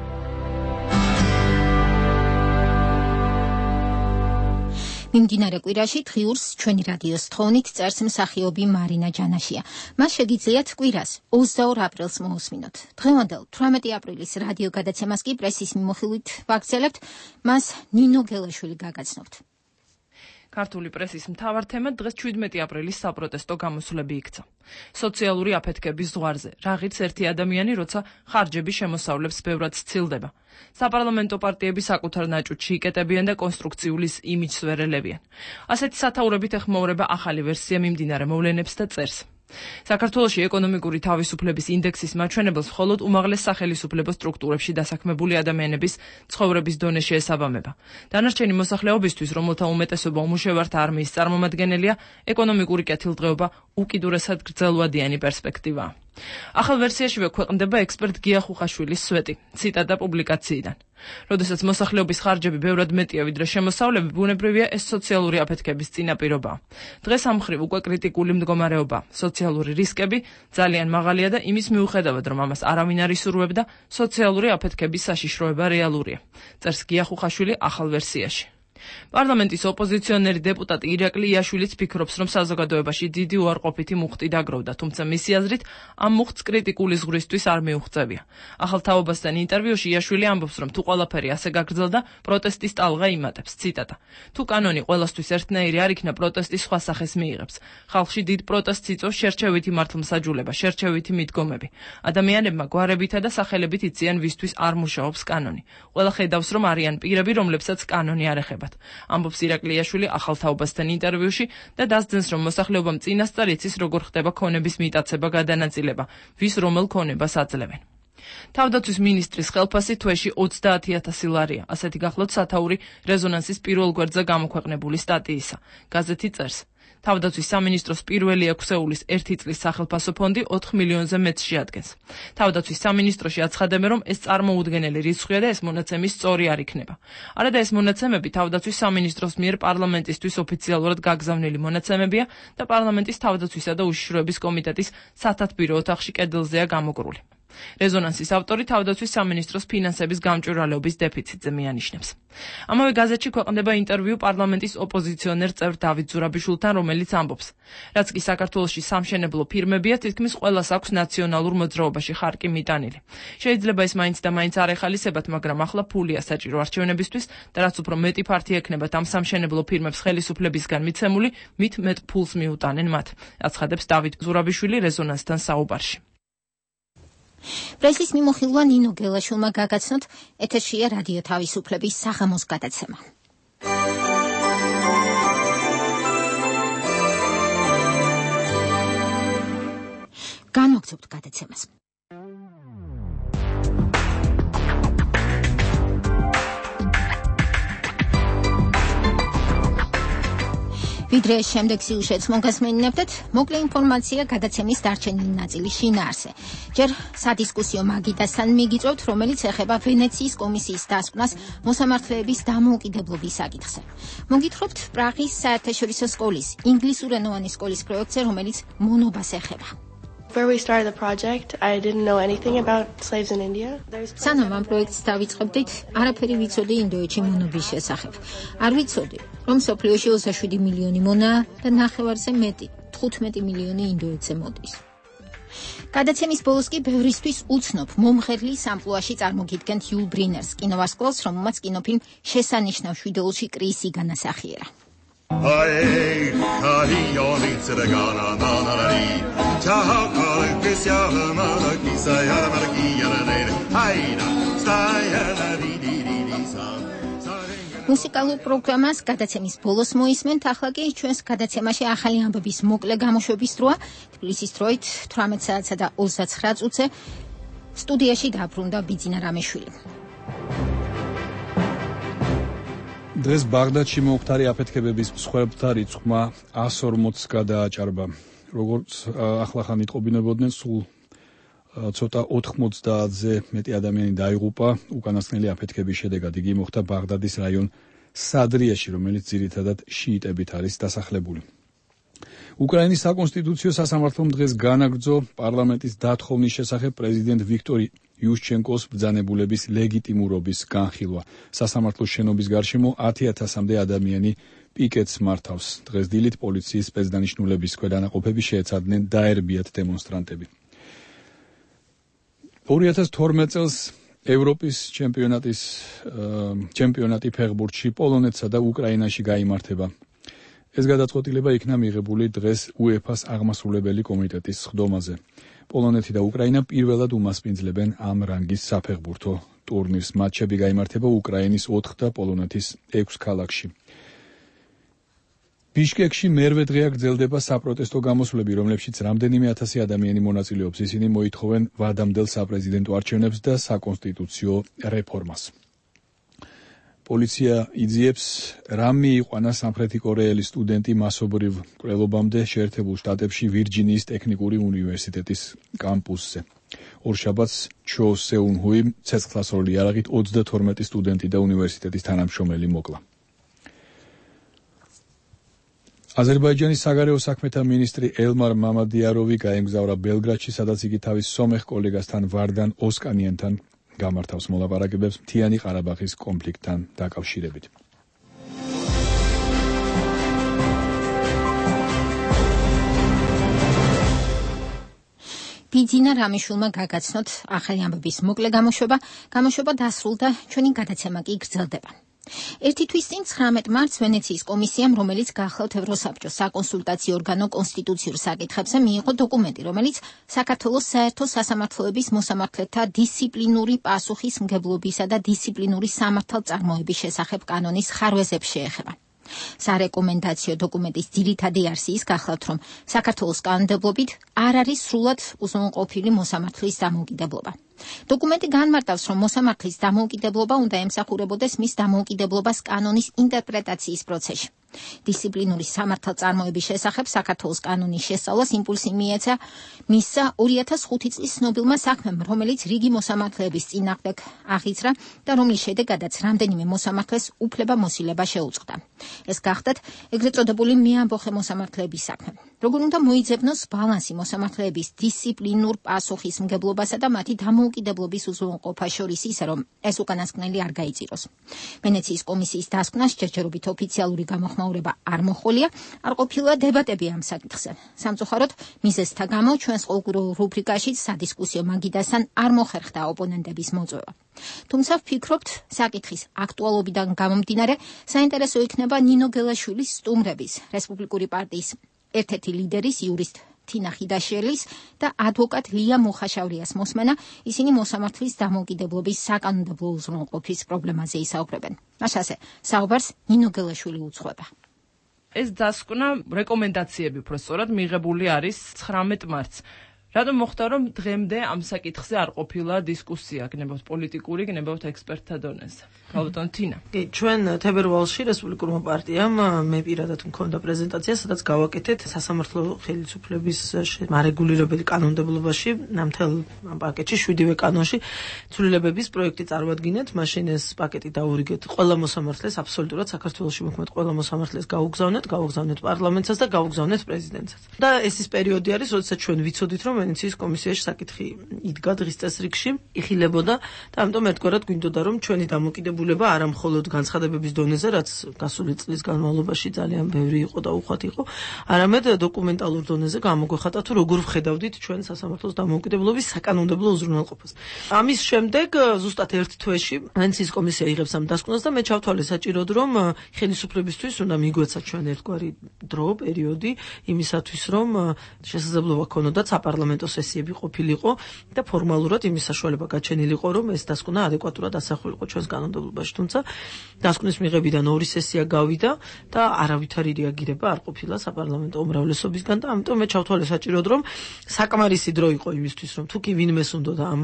მიმდინარე კვირაში დღიურს ჩვენი რადიოს თხოვნით წერს მსახიობი მარინა ჯანაშია. მას შეგიძლიათ კვირას ოცდაორ აპრილს მოусმინოთ. დღევანდელ თვრამეტი აპრილის რადიო გადაცემას კი პრესის მიმოხილვით ვაგრძელებთ. მას ნინო გელაშვილი გაგაცნობთ. ქართული პრესის მთავარ თემად დღეს შვიდმეტი აპრილის საპროტესტო გამოსვლები იქცა. სოციალური აფეთქების ზღვარზე, რაღიც ერთი ადამიანი, როცა ხარჯები შემოსავლებს ბევრად სცილდება. საპარლამენტო პარტიები საკუთარ ნაჭუჭში იკეტებიან და კონსტრუქციულის იმიჯს ვერ ელებიან. ასეთი სათაურებით ეხმაურება ახალი ვერსია მიმდინარე მოვლენებს და წერს. საქართველოში ეკონომიკური თავისუფლების ინდექსის მაჩვენებელს მხოლოდ უმაღლეს სახელისუფლებო სტრუქტურებში დასაქმებული ადამიანების ცხოვრების დონე შეესაბამება. დანარჩენი მოსახლეობისთვის, რომელთა უმეტესობა უმუშევართა არმიის წარმომადგენელია, ეკონომიკური კეთილდღეობა უკიდურესად გრძელვადიანი პერსპექტივაა. ახალ ვერსიაშივე ქვეყნდება ექსპერტ გია ხუხაშვილის სვეტი, ციტატა პუბლიკაციიდან. როდესაც მოსახლეობის ხარჯები ბევრად მეტია ვიდრე შემოსავლები, ბუნებრივია ეს სოციალური აფეთქების წინაპირობაა. დღეს ამ მხრივ უკვე კრიტიკული მდგომარეობა, სოციალური რისკები ძალიან მაღალია და იმის მიუხედავად, რომ ამას არავინ არ ისურვებდა, სოციალური აფეთქების საშიშროება რეალურია. წერს გია ხუხაშვილი ახალ ვერსიაში. პარლამენტის ოპოზიციონერი დეპუტატი ირაკლი იაშვილიც ფიქრობს, რომ საზოგადოებაში დიდი უარყოფითი მუხტი დაგროვდა, თუმცა მისი აზრით ამ მუხტს კრიტიკული ზღვრისთვის არ მიუღწევია. ახალ თაობასთან ინტერვიუში იაშვილი ამბობს, რომ თუ ყველაფერი ასე გაგრძელდა, პროტესტის ტალღა იმატებს. ციტატა: თუ კანონი ყველასთვის ერთნაირი არ იქნა, პროტესტი სხვა სახეს მიიღებს. ხალხში დიდ პროტესტს იწვევს შერჩევითი მართლმსაჯულება, შერჩევითი მიდგომები. ადამიანებმა გვარებითა და სახელებით იციან, ვისთვის არ მუშაობს კანონი. ყველა ხედავს, რომ არიან პირები, რომლებსაც კანონი არ ეხება. ამბობს ირაკლი იაშვილი ახალ თაობასთან ინტერვიუში და დასძენს, რომ მოსახლეობამ წინასწარ იცის, როგორ ხდება ქონების მიტაცება, გადანაწილება, ვის რომელ ქონებას აძლევენ. თავდაცვის მინისტრის ხელფასი თვეში ოცდაათი ათასი ლარია. ასეთი გახლავთ სათაური რეზონანსის პირველ გვერდზე გამოქვეყნებული სტატიისა. გაზეთი წერს: თავდაცვის სამინისტროს პირველი ექვსეულის ერთი წლის სახელფასო ფონდი ოთხ მილიონზე მეტს შეადგენს. თავდაცვის სამინისტროში აცხადებენ, რომ ეს წარმოუდგენელი რიცხვია და ეს მონაცემი სწორი არ იქნება. არადა ეს მონაცემები თავდაცვის სამინისტროს მიერ პარლამენტისთვის ოფიციალურად გაგზავნილი მონაცემებია და პარლამენტის თავდაცვისა და უშიშროების კომიტეტის სათათბირო ოთახში კედელზეა გამოკრული. რეზონანსის ავტორი თავდაცვის სამინისტროს ფინანსების გამჭვირვალეობის დეფიციტზე მიანიშნებს. ამავე გაზეთში ქვეყნდება ინტერვიუ პარლამენტის ოპოზიციონერ წევრ დავით ზურაბიშვილთან, რომელიც ამბობს: რაც კი საქართველოში სამშენებლო ფირმებია, თითქმის ყველას აქვს ნაციონალურ მოძრაობაში ხარკი მიტანილი. შეიძლება ეს მაინც და მაინც არ ეხალისებათ, მაგრამ ახლა ფულია საჭირო არჩევნებისთვის და რაც უფრო მეტი ფართი ექნებათ ამ სამშენებლო ფირმებს ხელისუფლებისგან მიცემული, მით მეტ ფულს მიუტანენ მათ. აცხადებს დავით ზურაბიშვილი რეზონანსთან საუბარში. პრესის მიმოხილვა ნინო გელაშვილმა გაგაცნოთ, ეთერშია რადიო თავისუფლების საღამოს გადაცემა. განვაგრძობთ გადაცემას. ვიდრე შემდეგ სიუჟეტს მოგასმენინებდეთ, მოკლე ინფორმაცია გადაცემის დარჩენილი ნაწილის შინაარსზე. ჯერ სადისკუსიო მაგიდასთან მიგიწევთ, რომელიც ეხება ვენეციის კომისიის დასკვნას მოსამართლეების დამოუკიდებლობის საკითხზე. მოგითხრობთ პრაღის საერთაშორისო სკოლის, ინგლისურენოვანი სკოლის პროექტზე, რომელიც მონობას ეხება. Before we started the project, I didn't know anything about slaves in India. სანამ ამ პროექტს დავიწყებდით, არაფერი ვიცოდი ინდოეთში მონობის შესახებ. არ ვიცოდი, რომ სოფლიოში ოცდაშვიდი მილიონი მონაა და ნახევარზე მეტი, თხუთმეტი მილიონი ინდოეთზე მოდის. გადაცემის ბოლოს კი ბევრისთვის უცნობ მომღერლის ამპლუაში წარმოგიდგენთ იულ ბრინერს, კინოვარსკვლავს, რომელმაც კინოფილმ შესანიშნავ შვიდეულში კრისი განასახიერა. Ay, ay, oni tregana na na na ni. Ciao, col che siamo mala chi sai alla marchia ne. Ay, na, stai alla di di di di sa. მუსიკალურ პროგრამას გადაცემის ბოლოს მოისმენთ, ახლა კი ჩვენს გადაცემაში ახალი ამბების მოკლე გამოშვების დროა. თბილისის დროით თვრამეტ საათსა და ოცდაცხრა წუთზე სტუდიაში დაბრუნდა ბიძინა რამეშვილი. დღეს ბაღდადში მომხდარი აფეთქებების მსხვერპლთა რიცხვმა ას ორმოცს გადააჭარბა. როგორც ახლახან იტყობინებოდნენ, სულ ცოტა ოთხმოცდაათზე მეტი ადამიანი დაიღუპა უკანასკნელი აფეთქების შედეგად. იგი მოხდა ბაღდადის რაიონ სადრიაში, რომელიც ძირითადად შიიტებით არის დასახლებული. უკრაინის საკონსტიტუციო სასამართლომ დღეს განაგრძო პარლამენტის დათხოვნის შესახებ პრეზიდენტ ვიქტორ იუშჩენკოს ბრძანებულების ლეგიტიმურობის განხილვა. სასამართლოს შენობის გარშემო ათი ათასამდე ადამიანი პიკეტს მართავს. დღეს დილით პოლიციის სპეცდანიშნულების ქვედანაყოფები შეეცადნენ დაერბიათ დემონსტრანტები. ორი ათას თორმეტ წელს ევროპის ჩემპიონატის ჩემპიონატი ფეხბურთში პოლონეთსა და უკრაინაში გაიმართება. ეს გადაწყვეტილება იქნა მიღებული დღეს უეფას აღმასრულებელი კომიტეტის სხდომაზე. პოლონეთი და უკრაინა პირველად უმასპინძლებენ ამ რანგის საფეხბურთო ტურნირს. მატჩები გაიმართება უკრაინის ოთხ და პოლონეთის ექვს ქალაქში. ბიშკეკში მერვე დღეა გრძელდება საპროტესტო გამოსვლები, რომლებშიც რამდენიმე ათასი ადამიანი მონაწილეობს. ისინი მოითხოვენ ვადამდელ საპრეზიდენტო არჩევნებს და საკონსტიტუციო რეფორმას. პოლიცია იძიებს რამ მიიყვანა სამხრეთი კორეელი სტუდენტი მასობრივ მკვლელობამდე შეერთებულ შტატებში ვირჯინიის ტექნიკური უნივერსიტეტის კამპუსზე. ორშაბათს ჩო სეუნჰუი ცეცხლსასროლი იარაღით ოცდათორმეტი სტუდენტი და უნივერსიტეტის თანამშრომელი მოკლა. აზერბაიჯანის საგარეო საქმეთა მინისტრი ელმარ მამადიაროვი გაემგზავრა ბელგრადში, სადაც იგი თავის სომეხ კოლეგასთან ვარდან ოსკანიანთან გამართავს მოლაპარაკებებს მთიანი ყარაბაღის კონფლიქტთან დაკავშირებით. ბიძინა რამიშულმა გაგაცნოთ ახალი ამბების მოკლე გამოშვება. გამოშვება დასრულდა, ჩვენი გადაცემა კი გრძელდება. ერთი თვის წინ ცხრამეტ მარტს ვენეციის კომისიამ, რომელიც გახლავთ ევროსაბჭოს საკონსულტაციო ორგანო კონსტიტუციურ საკითხებზე, მიიღო დოკუმენტი, რომელიც საქართველოს საერთო სასამართლოების მოსამართლეთა დისციპლინური პასუხისმგებლობისა და დისციპლინური სამართალწარმოების შესახებ კანონის ხარვეზებს შეეხება. სარეკომენდაციო დოკუმენტის ძირითადი არსი ის გახლავთ, რომ საქართველოს კანონმდებლობით არ არის სრულად უზრუნველყოფილი მოსამართლის დამოუკიდებლობა. დოკუმენტი განმარტავს, რომ მოსამართლის დამოუკიდებლობა უნდა ემსახურებოდეს მის დამოუკიდებლობას კანონის ინტერპრეტაციის პროცესში. დისციპლინური სამართალწარმოების შესახებ საქართველოს კანონის შესწავლას იმპულსი მიეცა მისცა ორი ათას ხუთი წლის ცნობილმა საქმემ, რომელიც რიგი მოსამართლეების წინააღმდეგ აღიძრა და რომლის შედეგადაც რამდენიმე მოსამართლეს უფლება-მოსილება შეუწყდა. ეს გახდათ ეგრეთ წოდებული მეამბოხე მოსამართლეების საქმე. როგორ უნდა მოიძებნოს ბალანსი მოსამართლეების დისციპლინურ პასუხისმგებლობასა და მათი დამოუკიდებლობის უზრუნველყოფას შორის ისე, რომ ეს უკანასკნელი არ გაიწიროს. ვენეციის კომისიის დასკვნას ჯერჯერობით ოფიციალური გამოხმაურება არ მოხოლია, არ ყოფილა დებატები ამ საკითხზე. სამწუხაროდ, მიზეზთა გამო ჩვენს ყოველგვარ რუბრიკაშიც სადისკუსიო მაგიდასთან არ მოხერხდა ოპონენტების მოწვევა. თუმცა ვფიქრობთ, საკითხის აქტუალობიდან გამომდინარე, საინტერესო იქნება ნინო გელაშვილის სტუმრების, რესპუბლიკური პარტიის ერთ-ერთი ლიდერის იურისტ თინა ხიდაშელის და ადვოკატ ლია მუხაშავრიას მოსმენა. ისინი მოსამართლის დამოუკიდებლობის საკანონმდებლო უზრუნველყოფის პრობლემაზე ისაუბრებენ. მასაზე საუბარს ნინო გელაშვილი უძღვება. ეს დასკვნა რეკომენდაციები უფრო სწორად მიღებული არის ცხრამეტ მარტს. რადგან მოხდა, რომ დღემდე ამ საკითხზე არ ყოფილა დისკუსია, გნებავთ პოლიტიკური, გნებავთ ექსპერტთა დონეზე. ალბათ თინა. კი, ჩვენ თებერვალში რესპუბლიკურმა პარტიამ მე პირადად მქონდა პრეზენტაცია, სადაც გავაკეთეთ სასამართლო ხელისუფლების მარეგულირებელი კანონმდებლობაში, ნამდვილ ამ პაკეტში შვიდივე კანონში ცვლილებების პროექტი წარმოვადგინეთ, მაშინ ეს პაკეტი დაურიგეთ ყველა მოსამართლეს, აბსოლუტურად საქართველოში მოქმედ ყველა მოსამართლეს გაუგზავნეთ, გაუგზავნეთ პარლამენტსაც და გაუგზავნეთ პრეზიდენტსაც. და ეს ის პერიოდი არის, როდესაც ჩვენ ვიცოდით, რომ ვენეციის კომისიაში საკითხი იდგა დღის წესრიგში, იხილებოდა და ამიტომ ერთგვარად გვინდოდა, რომ ჩვენი დამოუკიდებლობა არა მხოლოდ განცხადებების დონეზე, რაც გასული წლის განმავლობაში ძალიან ბევრი იყო და უხვად იყო, არამედ დოკუმენტალურ დონეზე გამოგვეხატა თუ როგორ ვხედავდით ჩვენ სასამართლოს დამოუკიდებლობის საკანონმდებლო უზრუნველყოფას. ამის შემდეგ ზუსტად ერთ თვეში ვენეციის კომისია იღებს ამ დასკვნას და მე ჩავთვალე საჭიროდ, რომ ხელისუფლებისთვის უნდა მიგვეცა ჩვენ ერთგვარი დრო, პერიოდი იმისათვის, რომ შესაძლებლობა ქონოდათ საპარლამენტო სესიები ყოფილიყო და ფორმალურად იმის საშუალება გაჩენილიყო, რომ ეს დასკვნა ადეკვატურად ასახულიყო ჩვენს კანონმდებლობაში. თუმცა დასკვნის მიღებიდან ორი სესია გავიდა და არავითარი რეაგირება არ ყოფილა საპარლამენტო უმრავლესობისგან და ამიტომ მე ჩავთვალე საჭიროდ, რომ საკმარისი დრო იყო იმისთვის, რომ თუ კი ვინმეს უნდოდა ამ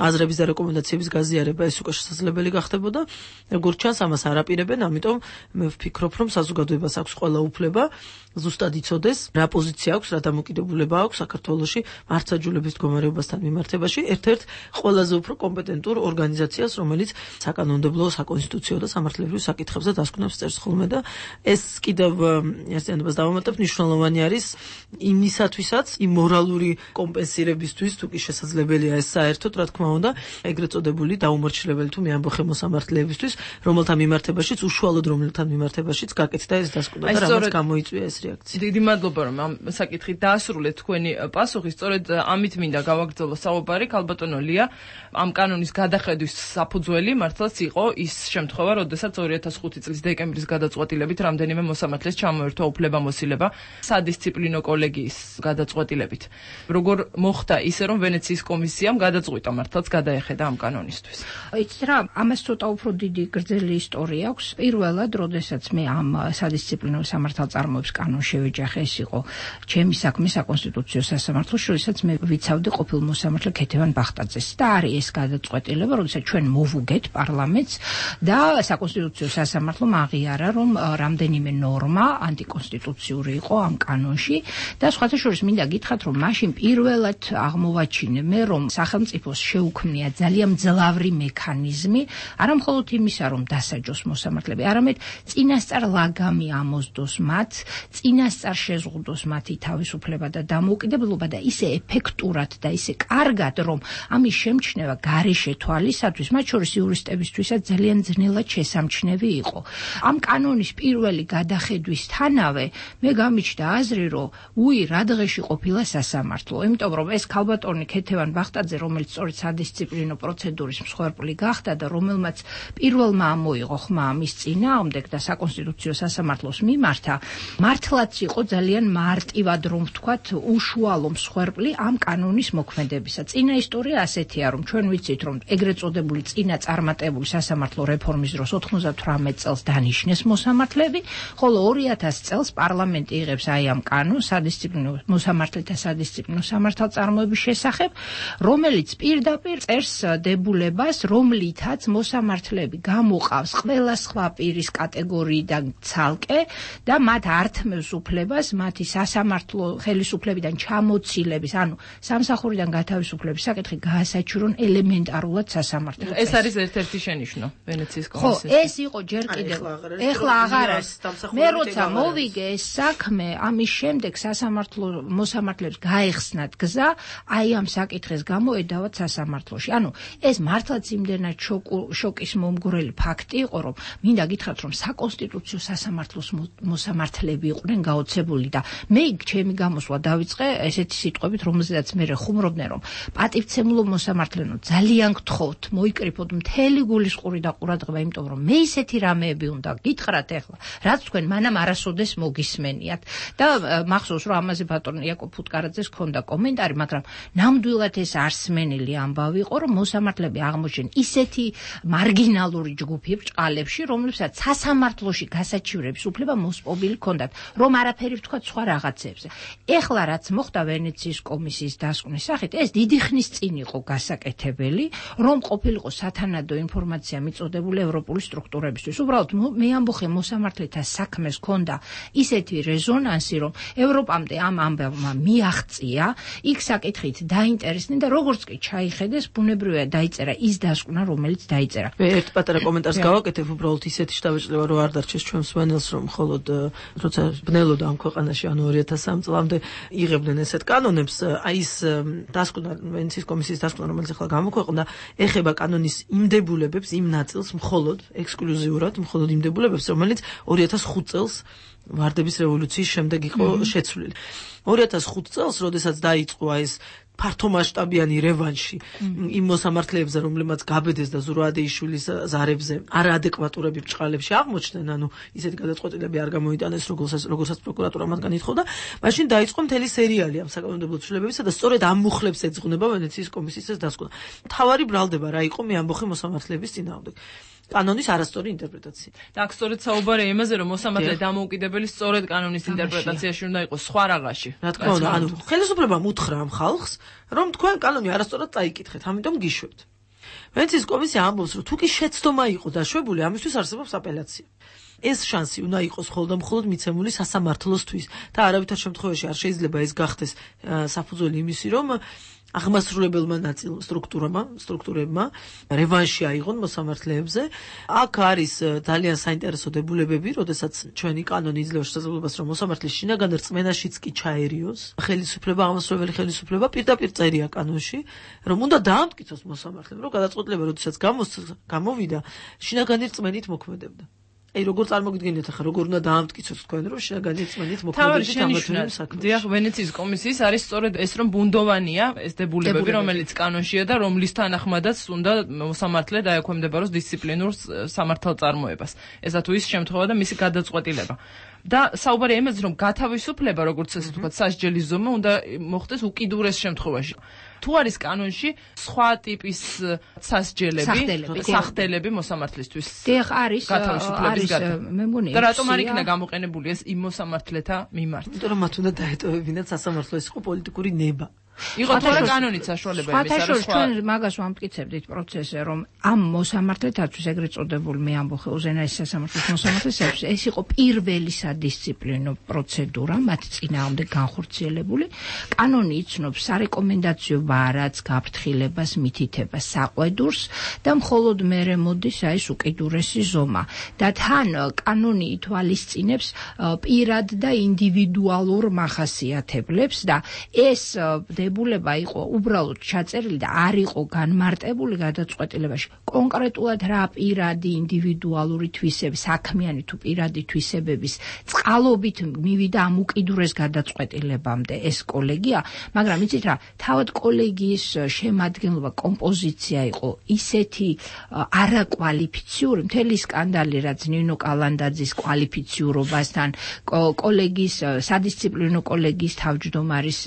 აზრების და რეკომენდაციების გაზიარება, ეს უკვე შესაძლებელი გახდებოდა. როგორც ჩანს, ამას არ აპირებენ, ამიტომ მე ვფიქრობ, რომ საზოგადოებას აქვს ყველა უფლება ზუსტად იცოდეს, რა პოზიცია აქვს, რა დამოკიდებულება აქვს საქართველოში მართლმსაჯულების მდგომარეობასთან მიმართებაში ერთ-ერთ ყველაზე უფრო კომპეტენტურ ორგანიზაციას, რომელიც საკანონმდებლო, საკონსტიტუციო და სამართლებრივ საკითხებზე დასკვნებს წერს ხოლმე და ეს კიდევ ერთიანობას დავამატებ, მნიშვნელოვანი არის იმისათვისაც, იმ მორალური კომპენსირებისთვის, თუ კი შესაძლებელია ეს საერთოდ, რა თქმა უნდა, ეგრეთ წოდებული დაუმორჩილებელი თუ მეამბოხე მოსამართლეებისთვის, რომელთა მიმართებაშიც უშუალოდ რომელთან მიმართებაშიც გაკეთდა ეს დასკვნა და რამაც გამოიწვია ეს რეაქცია. დიდი მადლობა, რომ ამ საკითხით დაასრულეთ თქვენი პასუხი. სწორედ ამით მინდა გავაგრძელო საუბარი, ქალბატონო ლია, ამ კანონის გადახედვის საფუძველი მართლაც იყო ის შემთხვევა, როდესაც ორი ათას ხუთი წლის დეკემბრის გადაწყვეტილებით რამდენიმე მოსამართლეს ჩამოერთვა უფლება-მოსილება სადისციპლინო კოლეგიის გადაწყვეტილებით. როგორ მოხდა ისე, რომ ვენეციის კომისიამ გადაწყვიტა მართლაც გადაეხედა ამ კანონისთვის? იცით რა, ამას ცოტა უფრო დიდი გრძელი ისტორია აქვს. პირველად, როდესაც მე ამ სადისციპლინო სამართალწარმოების კანონს შევეჯახე, ეს იყო ჩემი საქმე საკონსტიტუციო სასამართლოში, როდესაც მე ვიცავდი ყოფილ მოსამართლე ქეთევან ბახტაძეს და არის ეს გადაწყვეტილება, როდესაც ჩვენ მოვუგეთ პარლამენტს და საკონსტიტუციო სასამართლომ აღიარა, რომ რამდენიმე ნორმა ანტიკონსტიტუციური იყო ამ კანონში და სხვათა შორის მინდა გითხრათ, რომ მაშინ პირველად აღმოვაჩინე მე, რომ სახელმწიფოს შეუქმნია ძალიან მძლავრი მექანიზმი, არა მხოლოდ იმისა, რომ დასაჯოს მოსამართლეები, არამედ წინასწარ ლაგამი ამოსდოს მათ, წინასწარ შეზღუდოს მათი თავისუფლება და დამოუკიდებლობა და ისე ეფექტურად და ისე კარგად, რომ ამის შემჩნევა გარეშე თვალისათვის, მათ შორის იურისტებისთვისაც ძალიან ძნელად შესამჩნევი იყო. ამ კანონის პირველი გადახედვისთანავე მე გამიჩნდა აზრი, რომ უი, რა დღეში ყოფილა სასამართლო, იმიტომ რომ ეს ქალბატონი ქეთევან ბახტაძე, რომელიც სწორედ სადისციპლინო პროცედურის მსხვერპლი გახდა და რომელმაც პირველმა ამოიღო ხმა ამის წინააღმდეგ და საკონსტიტუციო სასამართლოს მიმართა, მართლაც იყო ძალიან მარტივად, რომ ვთქვათ, უშუალო მსხვერპლი ამ კანონის მოქმედებისა. წინა ისტორია ასეთია, რომ ჩვენ ვიცით, რომ ეგრეთ წოდებული წინა წარმატებული სასამართლო რეფორმის დროს ოთხმოცდათვრამეტ წელს დანიშნეს მოსამართლეები, ხოლო ორი ათას წელს პარლამენტი იღებს აი ამ კანონს სადისციპლინო მოსამართლეთა სადისციპლინო სამართალწარმოების შესახებ, რომელიც პირდაპირ წერს დებულებას, რომლითაც მოსამართლეები გამოყავს ყველა სხვა პირის კატეგორიიდან ცალკე და მათ ართმევს უფლებას მათი სასამართლო ხელისუფლებიდან ჩამოცილების, ანუ სამსახურიდან გათავისუფლების საკითხი გაასაჩურონ ელემენტარულად სასამართლოს. ეს არის ერთ-ერთი შენიშვნა ვენეციის ხო, კომისიის. ეს იყო ჯერ კიდევ. ეხლა აღარ არის. მე როცა მოვიგე ეს საქმე, ამის შემდეგ სასამართლო მოსამართლეებს გაეხსნათ გზა, აი ამ საკითხის გამო ედავათ სასამართლოში. ანუ ეს მართლაც იმდენად შოკის მომგვრელი ფაქტი იყო, რომ მინდა გითხრათ, რომ საკონსტიტუციო სასამართლოს მოსამართლეები იყვნენ გაოცებული და მე ჩემი გამოსვლა დავიწყე ესეთი სიტყვებით, რომელზედაც მე ხუმრობდნენ, რომ პატივცემულო მოსამართლენო, ძალიან გთხოვთ, მოიკრიფოთ მთელი გულისყური და ყურადღება, იმიტომ რომ მე ისეთი რამეები უნდა გითხრათ ახლა, რაც თქვენ მანამ არასოდეს მოგისმენიათ. და მახსოვს, რომ ამაზე ბატონ იაკობ ფუტკარაძეს ჰქონდა კომენტარი, მაგრამ ნამდვილად ეს არსმენელი ამბავი იყო, რომ მოსამართლეები აღმოჩნდნენ ისეთი მარგინალური ჯგუფი ბრჭყალებში, რომლებსაც სასამართლოში გასაჩივრების უფლება მოსპობილი ჰქონდათ, რომ არაფერი ვთქვათ სხვა რაღაცებზე. ეხლა რაც მოხდა ვენეციის კომისიის დასკვნის სახით, ეს დიდი ხნის წინ იყო გასაკეთებელი, რომ ყოფილიყო სათანადო ინფორმაცია მიწოდებული ევროპული სტრუქტურებისთვის. უბრალოდ მე ამბოხე მოსამართლეთა საქმეს ჰქონდა ისეთი რეზონანსი, რომ ევროპამდე ამ ამბავმა მიაღწია, იქ საკითხით დაინტერესდნენ და როგორც კი ჩაიხედეს, ბუნებრივია დაიწერა ის დასკვნა, რომელიც დაიწერა. მე ერთ პატარა კომენტარს გავაკეთებ, უბრალოდ ისეთი შტაბეჭდილება რო არ დარჩეს ჩვენ მსვენელს, რომ მხოლოდ როცა ბნელოდა ამ ქვეყანაში, ანუ ორი ათას სამი წლამდე იღებდნენ ესეთ კანონებს, აი ეს დასკვნა, ვენეციის კომისიის დასკვნა, რომელიც ახლა გამოქვეყნდა, ეხება კანონის იმდებულებებს, იმ ნაწილს მხოლოდ ექსკლუზიურად, მხოლოდ იმდებულებებს, რომელიც ორი ათას ხუთ წელს ვარდების რევოლუციის შემდეგ იყო შეცვლილი. ორი ათას ხუთ წელს, როდესაც დაიწყო ეს ფართომასშტაბიანი რევანში იმ მოსამართლეებზე, რომლებმაც გაბედეს და ზურაბიშვილის ზარებზე არაადეკვატურები ბრჭყალებში აღმოჩნდნენ, ანუ ისეთი გადაწყვეტილები არ გამოიტანეს, როგორცაც როგორცაც პროკურატურა მათგან ითხოვდა, მაშინ დაიწყო მთელი სერიალი ამ საკანონმდებლო ცვლილებებისა და სწორედ ამ მუხლებს ეძღვნება ვენეციის კომისიის ეს დასკვნა. მთავარი ბრალდება რა იყო მე ამბოხე მოსამართლეების წინააღმდეგ. კანონის არასწორი ინტერპრეტაცია. და აქ სწორედ საუბარია იმაზე, რომ მოსამართლე დამოუკიდებელი სწორედ კანონის ინტერპრეტაციაში უნდა იყოს სხვა რაღაცში. რა თქმა უნდა, ანუ ხელისუფლებამ უთხრა ამ ხალხს, რომ თქვენ კანონი არასწორად წაიკითხეთ, ამიტომ გიშვებთ. ვენეციის კომისია ამბობს, რომ თუ კი შეცდომა იყო დაშვებული, ამისთვის არსებობს აპელაცია. ეს შანსი უნდა იყოს მხოლოდ და მხოლოდ მიცემული სასამართლოსთვის და არავითარ შემთხვევაში არ შეიძლება ეს გახდეს საფუძველი იმისი, რომ აღმასრულებელმა ნაწილ სტრუქტურებმა, სტრუქტურებმა რევანში აიღონ მოსამართლეებზე. აქ არის ძალიან საინტერესო დებულებები, როდესაც ჩვენი კანონი იძლევა შესაძლებლობას, რომ მოსამართლის შინაგან რწმენაშიც კი ჩაერიოს ხელისუფლება, აღმასრულებელი ხელისუფლება პირდაპირ წერია კანონში, რომ უნდა დაამტკიცოს მოსამართლემ, რომ გადაწყვეტილება, როდესაც გამოვიდა, შინაგანი რწმენით მოქმედებდა. აი როგორ წარმოგიდგენიათ ახლა როგორ უნდა დაამტკიცოს თქვენ რომ შინაგანი რწმენით მოქმედებით ამათვინე საქმეში. დიახ, ვენეციის კომისიის არის სწორედ ეს რომ ბუნდოვანია ეს დებულებები, რომელიც კანონშია და რომლის თანახმადაც უნდა მოსამართლე დაექვემდებაროს დისციპლინურ სამართალწარმოებას. ესა თუ ის შემთხვევა და მისი გადაწყვეტილება. და საუბარია იმაზე, რომ გათავისუფლება, როგორც ასე ვთქვათ, სასჯელის ზომა უნდა მოხდეს უკიდურეს შემთხვევაში. თუ არის კანონში სხვა ტიპის სასჯელები, სახდელები მოსამართლისთვის. დიახ, არის, გათავისუფლების გადა. მე მგონი და რატომ არ იქნა გამოყენებული ეს იმ მოსამართლეთა მიმართ? იმიტომ რომ მათ უნდა დაეტოვებინათ სასამართლო ეს იყო პოლიტიკური ნება. იყო თორე კანონით საშუალება იმის არის სხვა ჩვენ მაგას ვამტკიცებდით პროცესზე რომ ამ მოსამართლეთათვის ეგრეთ წოდებულ მე ამბობ უზენაეს სასამართლოს მოსამართლეებს ეს იყო პირველი სადისციპლინო პროცედურა მათ წინააღმდეგ განხორციელებული კანონი იცნობს სარეკომენდაციო ვარაც გაფრთხილებას მითითებას საყვედურს და მხოლოდ მერე მოდის აი ეს უკიდურესი ზომა და თან კანონი ითვალისწინებს პირად და ინდივიდუალურ მახასიათებლებს და ეს დებულება იყო უბრალოდ ჩაწერილი და არ იყო განმარტებული გადაწყვეტილებაში. კონკრეტულად რა პირადი ინდივიდუალური თვისების, საქმიანი თუ პირადი თვისებების წყალობით მივიდა ამ უკიდურეს გადაწყვეტილებამდე ეს კოლეგია, მაგრამ იცით რა, თავად კოლეგიის შემადგენლობა, კომპოზიცია იყო ისეთი არაკვალიფიციური, მთელი სკანდალი რაც ნინო კალანდაძის კვალიფიციურობასთან, კოლეგიის სადისციპლინო კოლეგიის თავმჯდომარის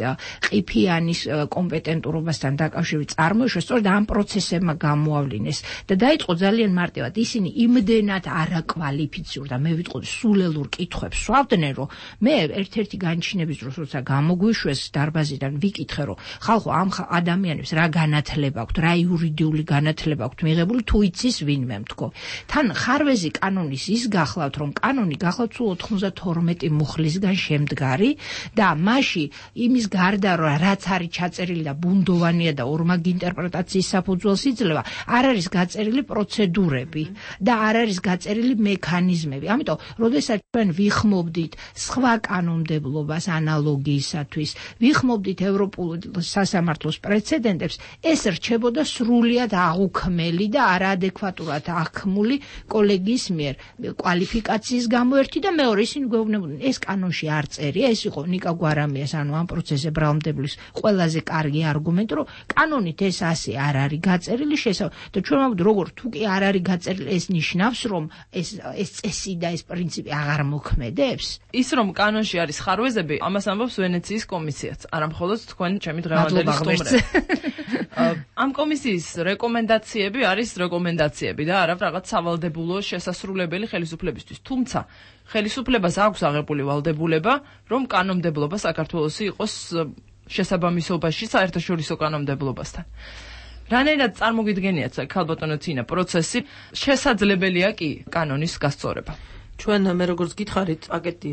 ყიფიანი კომპეტენტურობასთან დაკავშირებით წარმოიშვა, სწორედ ამ პროცესებმა გამოავლინეს და დაიწყო ძალიან მარტივად. ისინი იმდენად არაკვალიფიციური და მე ვიტყოდი სულელურ კითხვებს სვავდნენ, რომ მე ერთ-ერთი განჩინების დროს, როცა გამოგვიშვეს დარბაზიდან, ვიკითხე, რომ ხალხო ამ ადამიანებს რა განათლება აქვთ, რა იურიდიული განათლება აქვთ მიღებული, თუ იცის ვინმე მთქო. თან ხარვეზი კანონის ის გახლავთ, რომ კანონი გახლავთ სულ ოთხმოცდათორმეტი მუხლისგან შემდგარი და მასში იმის გარდა რომ რაც არის ჩაწერილი და ბუნდოვანია და ორმაგი ინტერპრეტაციის საფუძველს იძლევა, არ არის გაწერილი პროცედურები და არ არის გაწერილი მექანიზმები. ამიტომ, როდესაც ჩვენ ვიხმობდით სხვა კანონმდებლობას ანალოგიისათვის, ვიხმობდით ევროპულ სასამართლოს პრეცედენტებს, ეს რჩებოდა სრულიად აღუქმელი და არაადეკვატურად აღქმული კოლეგიის მიერ კვალიფიკაციის გამო ერთი და მეორე ისინი გვეუბნებოდნენ, ეს კანონში არ წერია, ეს იყო ნიკა გვარამიას ანუ ამ პროცესზე ბრალმდებლის ყველაზე კარგი არგუმენტი, რომ კანონით ეს ასე არ არის გაწერილი შესაძლოა და ჩვენ ვამბობთ, როგორ თუ კი არ არის გაწერილი, ეს ნიშნავს, რომ ეს ეს წესი და ეს პრინციპი აღარ მოქმედებს. ის რომ კანონში არის ხარვეზები, ამას ამბობს ვენეციის კომისიაც, არა მხოლოდ თქვენ ჩემი დღევანდელი სტუმრები. ამ კომისიის რეკომენდაციები არის რეკომენდაციები და არა რაღაც სავალდებულო შესასრულებელი ხელისუფლებისთვის. თუმცა ხელისუფლებას აქვს აღებული ვალდებულება, რომ კანონმდებლობა საქართველოსი იყოს შესაბამისობაში საერთაშორისო კანონმდებლობასთან. რანაირად წარმოგიდგენიათ ქალბატონო თინა პროცესი შესაძლებელია კი კანონის გასწორება. ჩვენ მე როგორც გითხარით, პაკეტი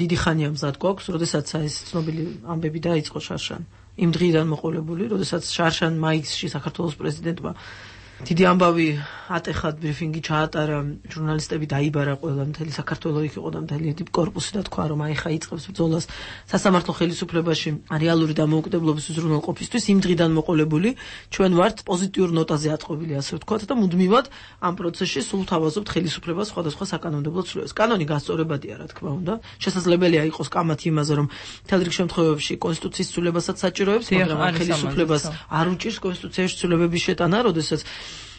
დიდი ხანია მზად გვაქვს, როდესაც ეს ცნობილი ამბები დაიწყო შარშან. იმ დღიდან მოყოლებული, როდესაც შარშან მაისში საქართველოს პრეზიდენტმა დიდი ამბავი ატეხად ბრიფინგი ჩაატარა, ჟურნალისტები დაიბარა ყველა, მთელი საქართველოს იქ იყო და მთელი კორპუსი და თქვა, რომ აი ხა იწყებს ბრძოლას სასამართლო ხელისუფლებაში რეალური დამოუკიდებლობის უზრუნველყოფისთვის. იმ დღიდან მოყოლებული ჩვენ ვართ პოზიტიურ ნოტაზე ატყობილი, ასე ვთქვათ და მუდმივად ამ პროცესში სულ თავაზობთ ხელისუფლებას სხვადასხვა საკანონმდებლო ცვლილებებს. კანონი გასწორებადია, რა თქმა უნდა. შესაძლებელია იყოს კამათი იმაზე, რომ მთელ რიგ შემთხვევებში კონსტიტუციის ცვლილებასაც საჭიროებს, მაგრამ ხელისუფლებას არ უჭირს კონსტიტუციაში ცვლილებების შეტანა, როდესაც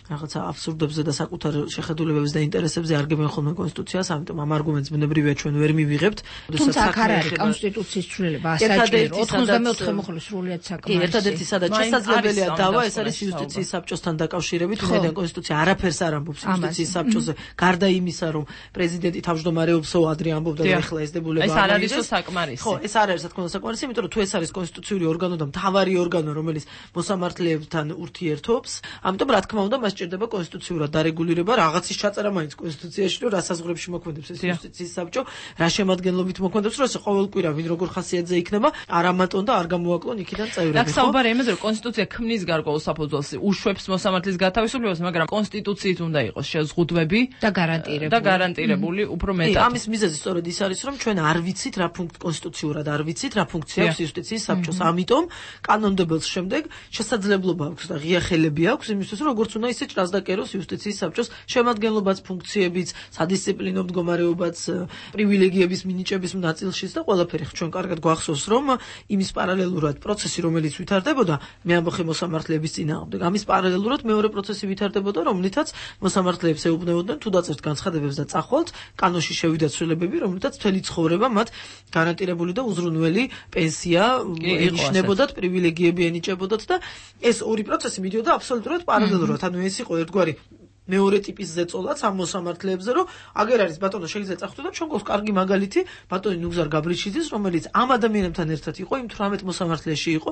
რაღაცა აბსურდებზე და საკუთარ შეხედულებებზე და ინტერესებზე არგებენ ხოლმე კონსტიტუციას, ამიტომ ამ არგუმენტს ბუნებრივია ჩვენ ვერ მივიღებთ. თუმცა აქ არ არის კონსტიტუციის ცვლილება, საჭირო ოცდამეოთხე მოხლის სრულიად საკმარისია. ერთადერთი სადაც შესაძლებელია დავა, ეს არის იუსტიციის საბჭოსთან დაკავშირებით, ვინაიდან კონსტიტუცია არაფერს არ ამბობს იუსტიციის საბჭოზე, გარდა იმისა, რომ პრეზიდენტი თავმჯდომარეობსო ადრე ამბობდა და ეხლა ეს დებულება ეს არ არის საკმარისი. ხო, ეს არ არის რა თქმა უნდა საკმარისი, იმიტომ რომ თუ ეს არის კონსტიტუციური ორგანო და მთავარი ორგანო, რომელიც მოსამართლეებთან ურთიერთობს, ამიტომ რა თქმა უნდა მას ჭირდება კონსტიტუციურად დარეგულირება, რაღაცის ჩაწერა მაინც კონსტიტუციაში, რომ რა საზღვრებში მოქმედებს ეს იუსტიციის საბჭო, რა შემადგენლობით მოქმედებს, რომ ეს ყოველ კვირა ვინ როგორ ხასიათზე იქნება, არ ამატონ და არ გამოაკლონ იქიდან წევრები. და საუბარი იმაზე, რომ კონსტიტუცია ქმნის გარკვეულ საფუძველს, უშვებს მოსამართლის გათავისუფლებას, მაგრამ კონსტიტუციით უნდა იყოს შეზღუდვები და გარანტირებული. და გარანტირებული უფრო მეტად. ამის მიზეზი სწორედ ის არის, რომ ჩვენ არ ვიცით რა ფუნქცია კონსტიტუციურად არ ვიცით რა ფუნქცია აქვს იუსტიციის საბჭოს. ამიტომ კანონმდებელს შემდეგ შესაძლებლობა აქვს და ღია ხელები აქვს იმისთვის, რომ როგორც უნდა ისე ჭრას და კეროს იუსტიციის საბჭოს შემადგენლობაც, ფუნქციებიც, სადისციპლინო მდგომარეობაც, პრივილეგიების მინიჭების ნაწილშიც და ყველაფერი. ჩვენ კარგად გვახსოვს, რომ იმის პარალელურად პროცესი, რომელიც ვითარდებოდა მეამბოხე მოსამართლეების წინააღმდეგ, ამის პარალელურად მეორე პროცესი ვითარდებოდა, რომლითაც მოსამართლეებს ეუბნებოდნენ თუ დაწერთ განცხადებებს და წახვალთ, კანონში შევიდათ ცვლილებები, რომლითაც მთელი ცხოვრება მათ გარანტირებული და უზრუნველი პენსია ენიშნებოდათ, პრივილეგიები ენიჭებოდათ და ეს ორი პროცესი მიდიოდა აბსოლუტურად პარალელურად. ანუ ეს იყო ერთგვარი მეორე ტიპის ზეწოლაც ამ მოსამართლეებზე, რომ აგერ არის ბატონო შეიძლება წახდო და ჩვენ გვაქვს კარგი მაგალითი ბატონი ნუგზარ გაბრიჩიძის, რომელიც ამ ადამიანებთან ერთად იყო, იმ თვრამეტ მოსამართლეში იყო,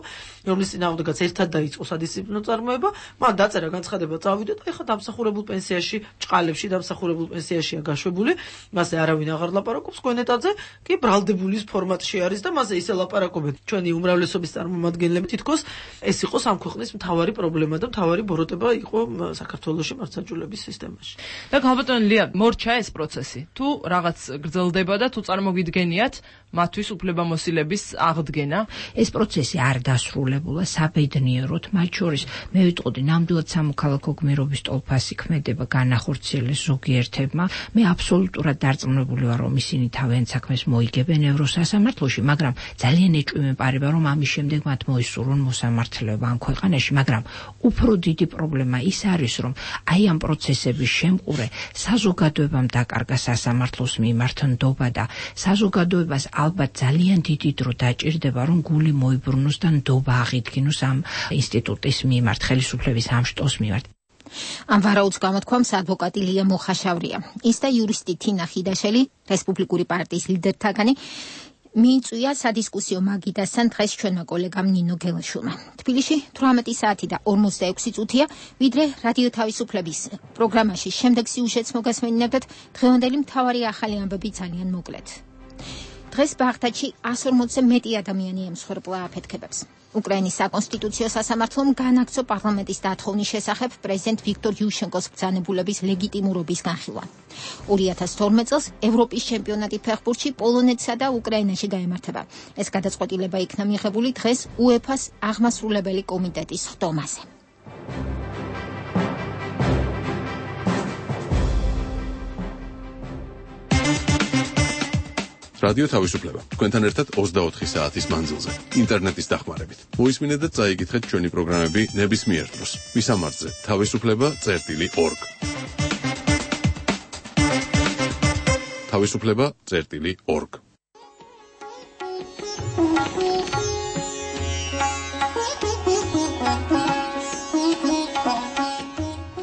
რომლის წინააღმდეგაც ერთად დაიწყო სადისციპლინო წარმოება, მან დაწერა განცხადება, წავიდა და ეხლა დამსახურებულ პენსიაში, ჭყალებში დამსახურებულ პენსიაშია გაშვებული, მასზე არავინ აღარ ლაპარაკობს, გვენეტაძე კი ბრალდებულის ფორმატში არის და მასზე ისე ლაპარაკობენ. ჩვენი უმრავლესობის წარმომადგენლები თითქოს ეს იყო ამ ქვეყნის მთავარი პრობლემა და მთავარი ბოროტება იყო საქართველოში მართლაც სისტემაში. და გალბატონ ლია, მორჩა ეს პროცესი. თუ რაღაც გრძელდება და თუ წარმოგიდგენიათ მათთვის უფლებამოსილების აღდგენა, ეს პროცესი არ დასრულებულა საბედნიეროდ, მათ შორის მე ვიტყოდი, ნამდვილად სამოქალაქო გმირობის ტოლფასი ქმედება განახორციელეს ზოგიერთებმა. მე აბსოლუტურად დარწმუნებული ვარ, რომ ისინი თავიანთ საქმეს მოიგებენ ევროსასამართლოში, მაგრამ ძალიან ეჭვი მეპარება, რომ ამის შემდეგ მათ მოისურვონ მოსამართლეობა ამ ქვეყანაში, მაგრამ უფრო დიდი პრობლემა ის არის, რომ აი ამ პროცესების შემყურე საზოგადოებამ დაკარგა სასამართლოს მიმართ ნდობა და საზოგადოებას ალბათ ძალიან დიდი დრო დაჭირდება, რომ გული მოიბრუნოს და ნდობა აღიდგინოს ამ ინსტიტუტის მიმართ, ხელისუფლების ამ შტოს მიმართ. ამ ვარაუდს გამოთქვამს ადვოკატი ლია მოხაშავრია. ის და იურისტი თინა ხიდაშელი, რესპუბლიკური პარტიის ლიდერთაგანი, მიიწვია სადისკუსიო მაგიდასთან დღეს ჩვენმა კოლეგამ ნინო გელაშვილმა. თბილისში თვრამეტი საათი და ორმოცდაექვსი წუთია, ვიდრე რადიო თავისუფლების პროგრამაში შემდეგ სიუჟეტს მოგასმენინებთ, დღევანდელი მთავარი ახალი ამბები ძალიან მოკლედ. დღეს ბაღდადში ას ორმოცზე მეტი ადამიანი ემსხვერპლა აფეთქებებს. უკრაინის საკონსტიტუციო სასამართლომ განაგრძო პარლამენტის დათხოვნის შესახებ პრეზიდენტ ვიქტორ იუშენკოს ბრძანებულების ლეგიტიმურობის განხილვა. ორი ათას თორმეტ წელს ევროპის ჩემპიონატი ფეხბურთში პოლონეთსა და უკრაინაში გაემართება. ეს გადაწყვეტილება იქნა მიღებული დღეს უეფას აღმასრულებელი კომიტეტის ხდომაზე. რადიო თავისუფლება. თქვენთან ერთად ოცდაოთხი საათის მანძილზე, ინტერნეტის დახმარებით. მოისმინეთ და წაიკითხეთ ჩვენი პროგრამები ნებისმიერ დროს. მისამართზე თავისუფლება წერტილი ორგ. თავისუფლება წერტილი ორგ.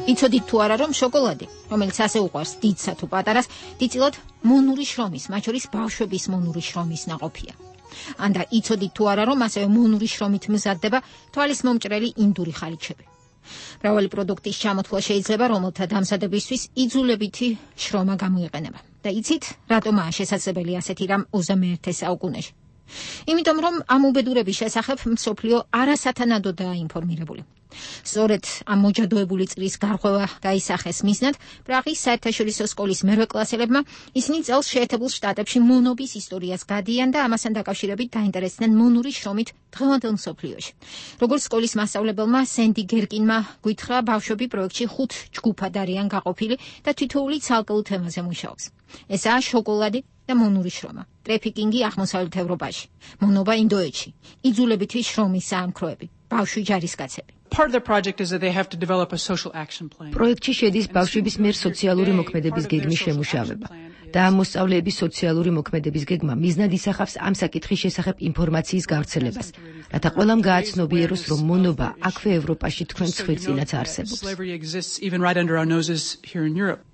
იცოდით თუ არა, რომ შოკოლადი, რომელიც ასე უყვარს დიდსა თუ პატარას, დიდწილად მონური შრომის, მათ შორის ბავშვების მონური შრომის ნაყოფია. ანდა იცოდით თუ არა, რომ ასევე მონური შრომით მზადდება თვალის მომჭრელი ინდური ხალიჩები. მრავალი პროდუქტის ჩამოთვლა შეიძლება, რომელთა დამზადებისთვის იძულებითი შრომა გამოიყენება. და იცით, რატომაა შესაძლებელი ასეთი რამ ოცდამეერთე საუკუნეში? იმიტომ, რომ ამ უბედურების შესახებ მსოფლიო არასათანადოდაა ინფორმირებული. სწორედ ამ მოჯადოებული წრის გარღვევა დაისახეს მიზნად პრაღის საერთაშორისო სკოლის მერვე კლასელებმა, ისინი წელს შეერთებულ შტატებში მონობის ისტორიას გადიან და ამასთან დაკავშირებით დაინტერესდნენ მონური შრომით დღევანდელ მსოფლიოში. როგორც სკოლის მასწავლებელმა სენდი გერკინმა გვითხრა, ბავშვები პროექტში ხუთ ჯგუფად არიან გაყოფილი და თითოეული ცალკეულ თემაზე მუშაობს. ესაა შოკოლადი და მონური შრომა, ტრეფიკინგი აღმოსავლეთ ევროპაში, მონობა ინდოეთში, იძულებითი შრომის საამქროები, ბავშვი ჯარისკაცები. Part of the project is that they have to develop a social action plan. პროექტში შედის ბავშვების მიერ სოციალური მოქმედების გეგმის შემუშავება და ამ მოსწავლეების სოციალური მოქმედების გეგმა მიზნად ისახავს ამ საკითხის შესახებ ინფორმაციის გავრცელებას, რათა ყველამ გააცნობიეროს, რომ მონობა აქვე ევროპაში თქვენ ცხვირწინაც არსებობს.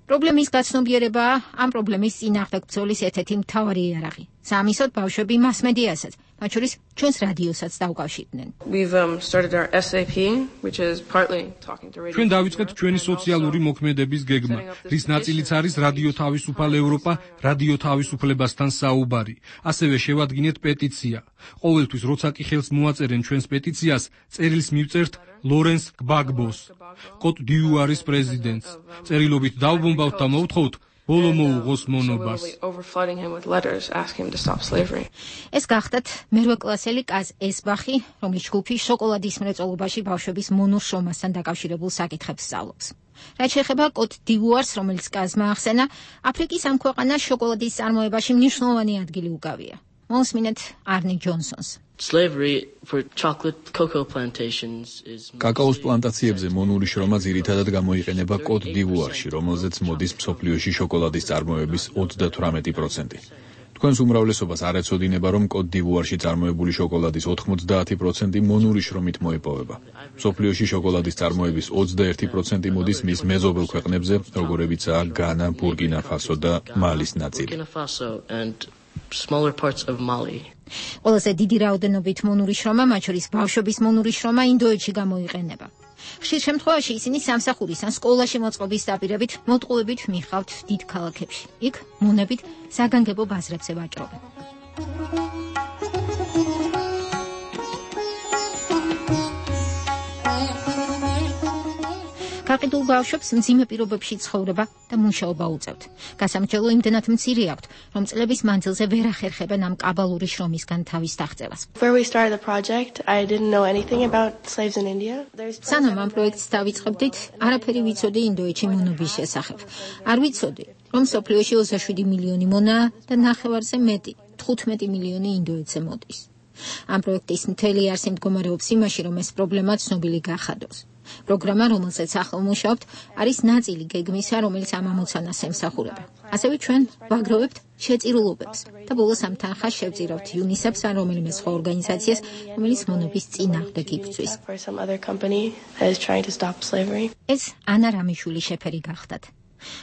პრობლემის გაცნობიერებაა ამ პრობლემის წინააღმდეგ ბრძოლის ერთ-ერთი მთავარი იარაღი. სამისოდ ბავშვები მასმედიასაც, მათ შორის ჩვენს რადიოსაც დაუკავშირდნენ. We've um, started our S A P, which is partly talking to radio. ჩვენ დავიწყეთ ჩვენი სოციალური მოქმედების გეგმა, რის ნაწილიც არის რადიო თავისუფალ ევროპა, რადიო თავისუფლებასთან საუბარი. ასევე შევადგინეთ პეტიცია. ყოველთვის როცა კი ხელს მოაწერენ ჩვენს პეტიციას, წერილს მივწერთ ლორენს გბაგბოს, კოტ დიუარის პრეზიდენტს. წერილობით დავბომბავთ და მოვთხოვთ ბოლო მოუღოს მონობას. ეს გახდათ მერვე კლასელი კაზ ესბახი, რომლის ჯგუფი შოკოლადის მრეწველობაში ბავშვების მონურ შრომასთან დაკავშირებულ საკითხებს სწავლობს. რაც შეეხება კოტ დივუარს, რომელიც კაზმა ახსენა, აფრიკის ამ ქვეყანას შოკოლადის წარმოებაში მნიშვნელოვანი ადგილი უკავია. მოსმინეთ არნი ჯონსონს. Slavery for chocolate cocoa plantations is კაკაოს პლანტაციებზე მონური შრომა ძირითადად გამოიყენება კოტ დივუარში, რომელზეც მოდის მსოფლიოში შოკოლადის წარმოების ოცდათვრამეტი პროცენტი. თქვენს უმრავლესობას არ ეცოდინება, რომ კოტ დივუარში წარმოებული შოკოლადის ოთხმოცდაათი პროცენტი მონური შრომით მოიპოვება. მსოფლიოში შოკოლადის წარმოების ოცდაერთი პროცენტი მოდის მის მეზობელ ქვეყნებზე, როგორებიცაა განა, ბურკინა ფასო და მალის ნაწილი. Smaller parts of Mali. ყველაზე დიდი რაოდენობით მონური შრომა, მათ შორის ბავშვების მონური შრომა ინდოეთში გამოიყენება. ხშირ შემთხვევაში ისინი სამსახურის ან სკოლაში მოწყობის დაპირებით მოტყუებით მიხავთ დიდ ქალაქებში. იქ მონებით საგანგებო ბაზრებზე ვაჭრობენ. გაყიდულ ბავშვებს მძიმე პირობებში ცხოვრება და მუშაობა უწევთ. გასამრჯელო იმდენად მცირე აქვთ, რომ წლების მანძილზე ვერ ახერხებენ ამ კაბალური შრომისგან თავის დაღწევას. სანამ ამ პროექტს დავიწყებდით, არაფერი ვიცოდი ინდოეთში მონობის შესახებ. არ ვიცოდი, რომ მსოფლიოში ოცდაშვიდი მილიონი მონაა და ნახევარზე მეტი, თხუთმეტი მილიონი ინდოეთზე მოდის. ამ პროექტის მთელი არსი მდგომარეობს იმაში, რომ ეს პრობლემა ცნობილი გახადოს. პროგრამა, რომელზეც ახლა მუშაობთ, არის ნაწილი გეგმისა, რომელიც ამ ამოცანას ემსახურება. ასევე ჩვენ ვაგროვებთ შეწირულობებს და ბოლოს ამ თანხას შევწირავთ იუნისეფს ან რომელიმე სხვა ორგანიზაციას, რომელიც მონობის წინააღმდეგ იბრძვის. ეს ანა რამიშვილი შეფერი გახდათ.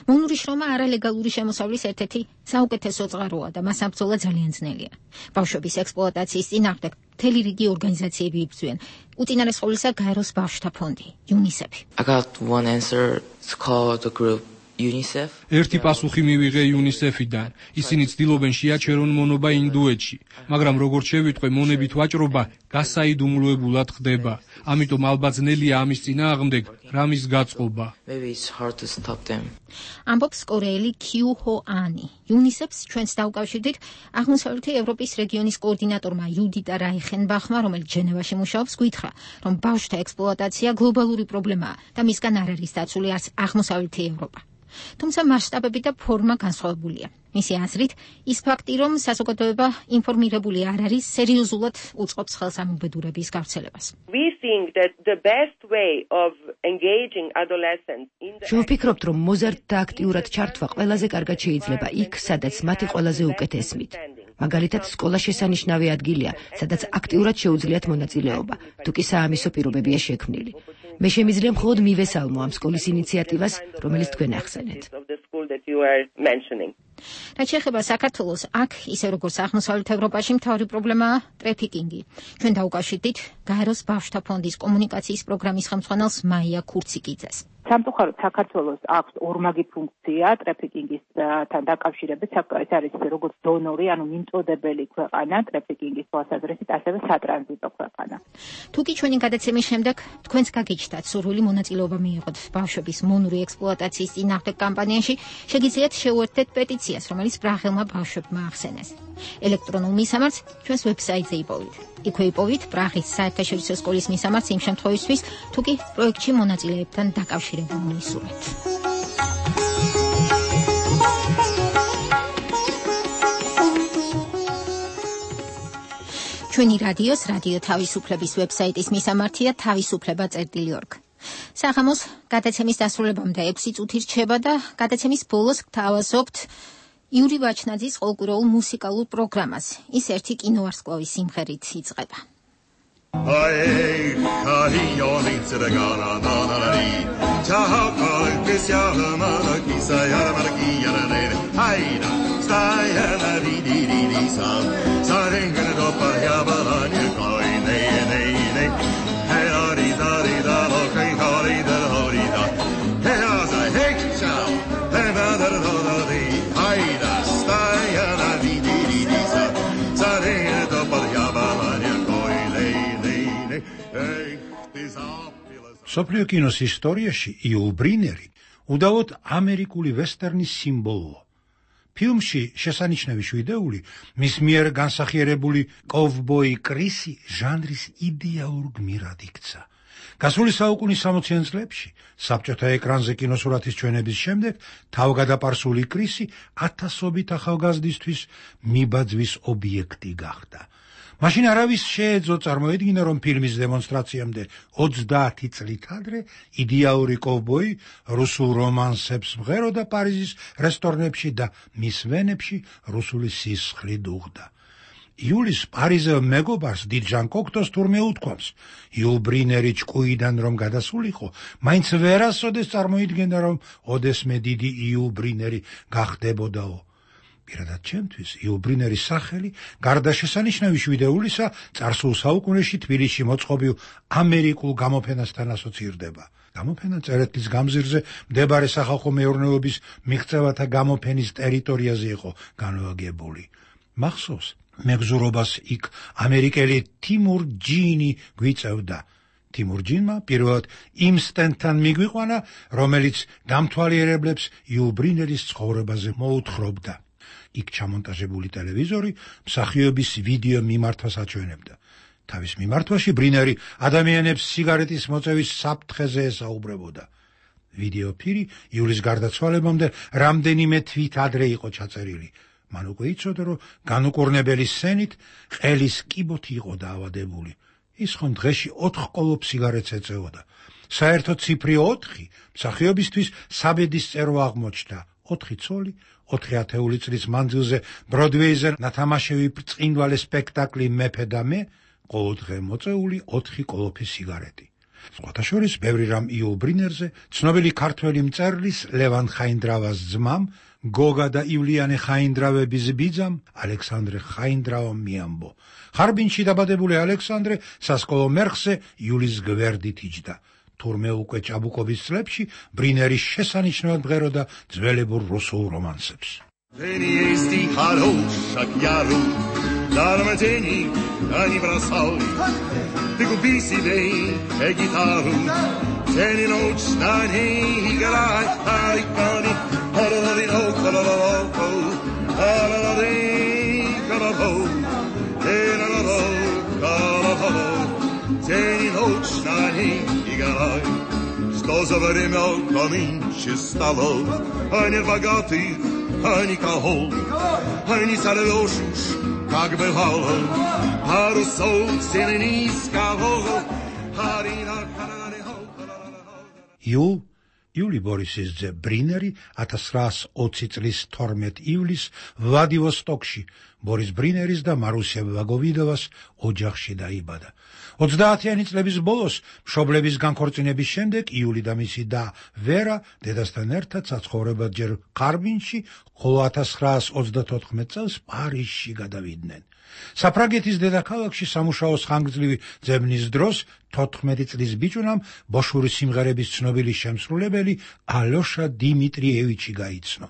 მონური შრომა არალეგალური შემოსავლის ერთ-ერთი საუკეთესო წყაროა და მას აბრძოლა ძალიან ძნელია. ბავშვების ექსპლუატაციის წინააღმდეგ მთელი რიგი ორგანიზაციები იბრძვიან. უწინარეს ყოვლისა გაეროს ბავშვთა ფონდი, იუნისეფი. I got one answer. It's called the group UNICEF. ერთი პასუხი მივიღე იუნისეფიდან. ისინი ცდილობენ შეაჩერონ მონობა ინდოეთში, მაგრამ როგორც შევიტყვე, მონებით ვაჭრობა გასაიდუმლოებულად ხდება. ამიტომ ალბათ ძნელია ამის წინააღმდეგ რამის გაწყობა. Maybe it's hard to stop them. ამბობს კორეელი კიუ ჰო ანი. იუნისეფს ჩვენს დაუკავშირდით აღმოსავლეთი ევროპის რეგიონის კოორდინატორმა იუდიტა რაიხენბახმა, რომელიც ჟენევაში მუშაობს, გითხრა, რომ ბავშვთა ექსპლუატაცია გლობალური პრობლემაა და მისგან არ არის დაცული არც აღმოსავლეთი ევროპა. თუმცა მასშტაბები და ფორმა განსხვავებულია. მისი აზრით, ის ფაქტი, რომ საზოგადოება ინფორმირებული არ არის, სერიოზულად უწყობს ხელს ამ უბედურების გავრცელებას. შევფიქრობთ, რომ მოზარდთა აქტიურად ჩართვა ყველაზე კარგად შეიძლება იქ, სადაც მათი ყველაზე უკეთ ესმით. მაგალითად, სკოლა შესანიშნავი ადგილია, სადაც აქტიურად შეუძლიათ მონაწილეობა, თუ კი საამისო პირობებია შექმნილი. მე შემიძლია მხოლოდ მივესალმო ამ სკოლის ინიციატივას, რომელიც თქვენ ახსენეთ. რაც შეეხება საქართველოს, აქ ისე როგორც აღმოსავლეთ ევროპაში მთავარი პრობლემაა ტრაფიკინგი. ჩვენ დაუკავშირდით გაეროს ბავშვთა ფონდის კომუნიკაციის პროგრამის ხელმძღვანელს მაია ქურციკიძეს. სამწუხაროდ საქართველოს აქვს ორმაგი ფუნქცია ტრაფიკინგისთან დაკავშირებით. ეს არის როგორც დონორი, ანუ მიმწოდებელი ქვეყანა ტრაფიკინგის თვალსაზრისით, ასევე სატრანზიტო ქვეყანა. თუ კი ჩვენი გადაცემის შემდეგ თქვენს გაგიჩნდათ სურვილი მონაწილეობა მიიღოთ ბავშვების მონური ექსპლუატაციის წინააღმდეგ კამპანიაში, შეგიძლიათ შეუერთდეთ პეტიციას, რომელიც პრაღელმა ბავშვებმა ახსენეს. ელექტრონულ მისამართს ჩვენს ვებსაიტზე იპოვით. იქვე იპოვით პრაღის საერთაშორისო სკოლის მისამართს იმ შემთხვევისთვის, თუ კი პროექტში მონაწილეებთან დაკავშირებული ისურვეთ. ჩვენი რადიოს, რადიო თავისუფლების ვებსაიტის მისამართია თავისუფლება წერტილი ორგ. საღამოს გადაცემის დასრულებამდე ექვსი წუთი რჩება და გადაცემის ბოლოს გთავაზობთ იური ვაჩნაძის ყოველკვირეულ მუსიკალურ პროგრამას. ის ერთი კინოვარსკვლავის სიმღერით იწყება. Ay, cariñoni tsiragana na na na ni. Ciao, che sia la mala chi sai la marchia la neve. Ay, stai la di di di di sa. Sarenga dopo ya სოფლიო კინოს ისტორიაში იულ ბრინერი უდავოდ ამერიკული ვესტერნის სიმბოლოა. ფილმში შესანიშნავი შვიდეული მის მიერ განსახიერებული კოვბოი კრისი ჟანრის იდეალურ გმირად იქცა. გასული საუკუნის სამოციან წლებში საბჭოთა ეკრანზე კინოსურათის ჩვენების შემდეგ თავგადაპარსული კრისი ათასობით ახალგაზრდისთვის მიბაძვის ობიექტი გახდა. მაშინ არავის შეეძლო წარმოედგინა, რომ ფილმის დემონსტრაციამდე ოცდაათი წლით ადრე იდეალური კოვბოი რუსულ რომანსებს მღეროდა პარიზის რესტორნებში და მის ვენებში რუსული სისხლით უხდა. იულის პარიზელ მეგობარს დიდ ჟან კოქტოს თურმე უთქვამს, იულ ბრინერი ჭკუიდან რომ გადასულიყო, მაინც ვერასოდეს წარმოიდგენდა, რომ ოდესმე დიდი იულ ბრინერი გახდებოდაო. პირადად ჩემთვის იულ ბრინერის სახელი გარდა შესანიშნავი შვიდეულისა წარსულ საუკუნეში თბილისში მოწყობილ ამერიკულ გამოფენასთან ასოცირდება. გამოფენა წერეთლის გამზირზე მდებარე სახალხო მეურნეობის მიღწევათა გამოფენის ტერიტორიაზე იყო განლაგებული. მახსოვს, მეგზურობას იქ ამერიკელი თიმურ ჯინი გვიწევდა. თიმურ ჯინმა პირველად იმ სტენდთან მიგვიყვანა, რომელიც დამთვალიერებლებს იულ ბრინერის ცხოვრებაზე მოუთხრობდა. იქ ჩამონტაჟებული ტელევიზორი მსახიობის ვიდეო მიმართვას აჩვენებდა. თავის მიმართვაში ბრინერი ადამიანებს სიგარეტის მოწევის საფრთხეზე ესაუბრებოდა. ვიდეო ფირი იულის გარდაცვალებამდე რამდენიმე თვით ადრე იყო ჩაწერილი. მან უკვე იცოდა, რომ განუკურნებელი სცენით ყელის კიბოთი იყო დაავადებული. ის ხომ დღეში ოთხ კოლოფ სიგარეტს ეწეოდა. საერთო ციფრი ოთხი მსახიობისთვის საბედის წერვა აღმოჩნდა. ოთხი ცოლი, ოთხი ათეული წლის მანძილზე ბროდვეიზე ნათამაშები ბრწყინვალე სპექტაკლი მეფე და მე, ყოველდღე მოწეული ოთხი კოლოფი სიგარეტი. სხვათა შორის ბევრი რამ იულ ბრინერზე, ცნობილი ქართველი მწერლის ლევან ხაინდრავას ძმამ, გოგა და ივლიანე ხაინდრავების ბიძამ, ალექსანდრე ხაინდრავამ მიამბო. ხარბინში დაბადებული ალექსანდრე სასკოლო მერხზე იულის გვერდით იჯდა. თურმე უკვე ჭაბუკობის წლებში ბრინერი შესანიშნავად მღეროდა ძველებურ რუსულ რომანსებს. Тени есть и хорошак яру, дарма тени, а не бросай. Ты купи себе гитару, тени ночь на ней играй, ай, кани, ха-ла-ла-ли, ха-ла-ла-ла-ла, ха-ла-ла-ли, ха-ла-ла-ла, ха-ла-ла-ла, ха-ла-ла-ла, тени ночь на ней играй. Что за время нынче стало, а не богатых, а никого, а не сорвешь уж, как бывало, парусов сильно низкого. იულ იული ბორისის ძე ბრინერი ათას ცხრაასი ოცი წლის თორმეტ ივლისს ვლადივოსტოკში ბორის ბრინერის და მარუსია ვაგოვიდოვას ოჯახში დაიბადა. ოცდაათიანი წლების ბოლოს მშობლების განქორწინების შემდეგ იული და მისი და ვერა დედასთან ერთად საცხოვრებლად ჯერ ხარბინში, ხოლო ათას ცხრაასი ოცდათოთხმეტ წელს პარიზში გადავიდნენ. საფრანგეთის დედაქალაქში სამუშაოს ხანგრძლივი ძებნის დროს თოთხმეტი წლის ბიჭუნამ ბოშური სიმღერების ცნობილი შემსრულებელი ალოშა დიმიტრიევიჩი გაიცნო.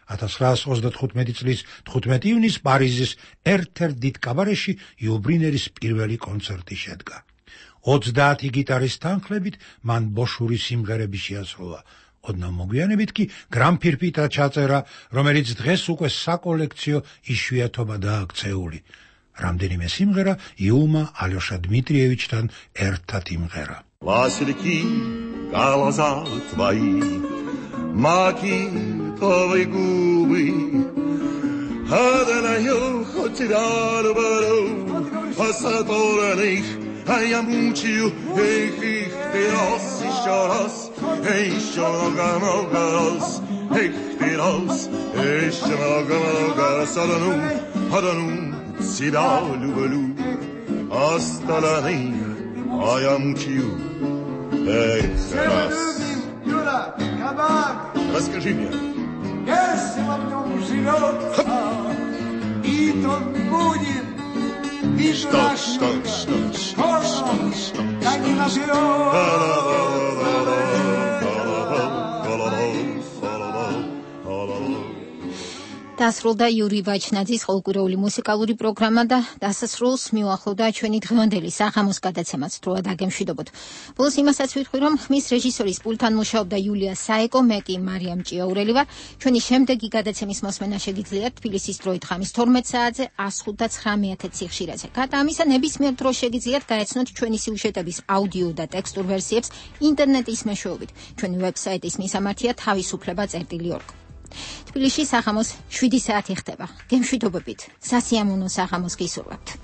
ათას ცხრაასი ოცდათხუთმეტი წლის თხუთმეტი ივნისს პარიზის ერთ-ერთ დიდ კაბარეში იულ ბრინერის პირველი კონცერტი შედგა. ოცდაათი გიტარის თანხლებით მან ბოშური სიმღერები შეასრულა. ოდნავ მოგვიანებით კი გრამფირფიტა ჩაწერა, რომელიც დღეს უკვე საკოლექციო იშვიათობადაა ქცეული. რამდენიმე სიმღერა იულმა ალოშა დმიტრიევიჩთან ერთად იმღერა. Васильки, глаза твои, макитовые губы, одною хоть тебя люблю, посадорных, а я мучаю, эх, их ты раз, еще раз, еще много-много раз, эх, ты раз, еще много-много раз, одну, одну тебя люблю, остальных, а я мучаю, эх, раз. Юра, кабак! Расскажи мне. Если во нем живет, и тот будет, и что, что, что, что, что, да не დასრულდა იური ვაჩნაძის ყოველკვირეული მუსიკალური პროგრამა და დასასრულს მიუახლოვდა ჩვენი დღევანდელი საღამოს გადაცემაც. დროა დაგემშვიდობოთ. ბოლოს იმასაც ვიტყვი, რომ ხმის რეჟისორის პულტთან მუშაობდა იულია საეკო, მე კი მარიამ ჭიაურელი ვარ. ჩვენი შემდეგი გადაცემის მოსმენა შეგიძლიათ თბილისის დროით ხამის თორმეტ საათზე one nine one nine სიხშირეზე. გარდა ამისა, ნებისმიერ დროს შეგიძლიათ გაეცნოთ ჩვენი სიუჟეტების აუდიო და ტექსტურ ვერსიებს ინტერნეტის მეშვეობით. ჩვენი ვებსაიტის მისამართია თავისუფლება წერტილი ორგ. თბილისში საღამოს შვიდი საათი ხდება. გემშვიდობებით. სასიამოვნო საღამოს გისურვებთ.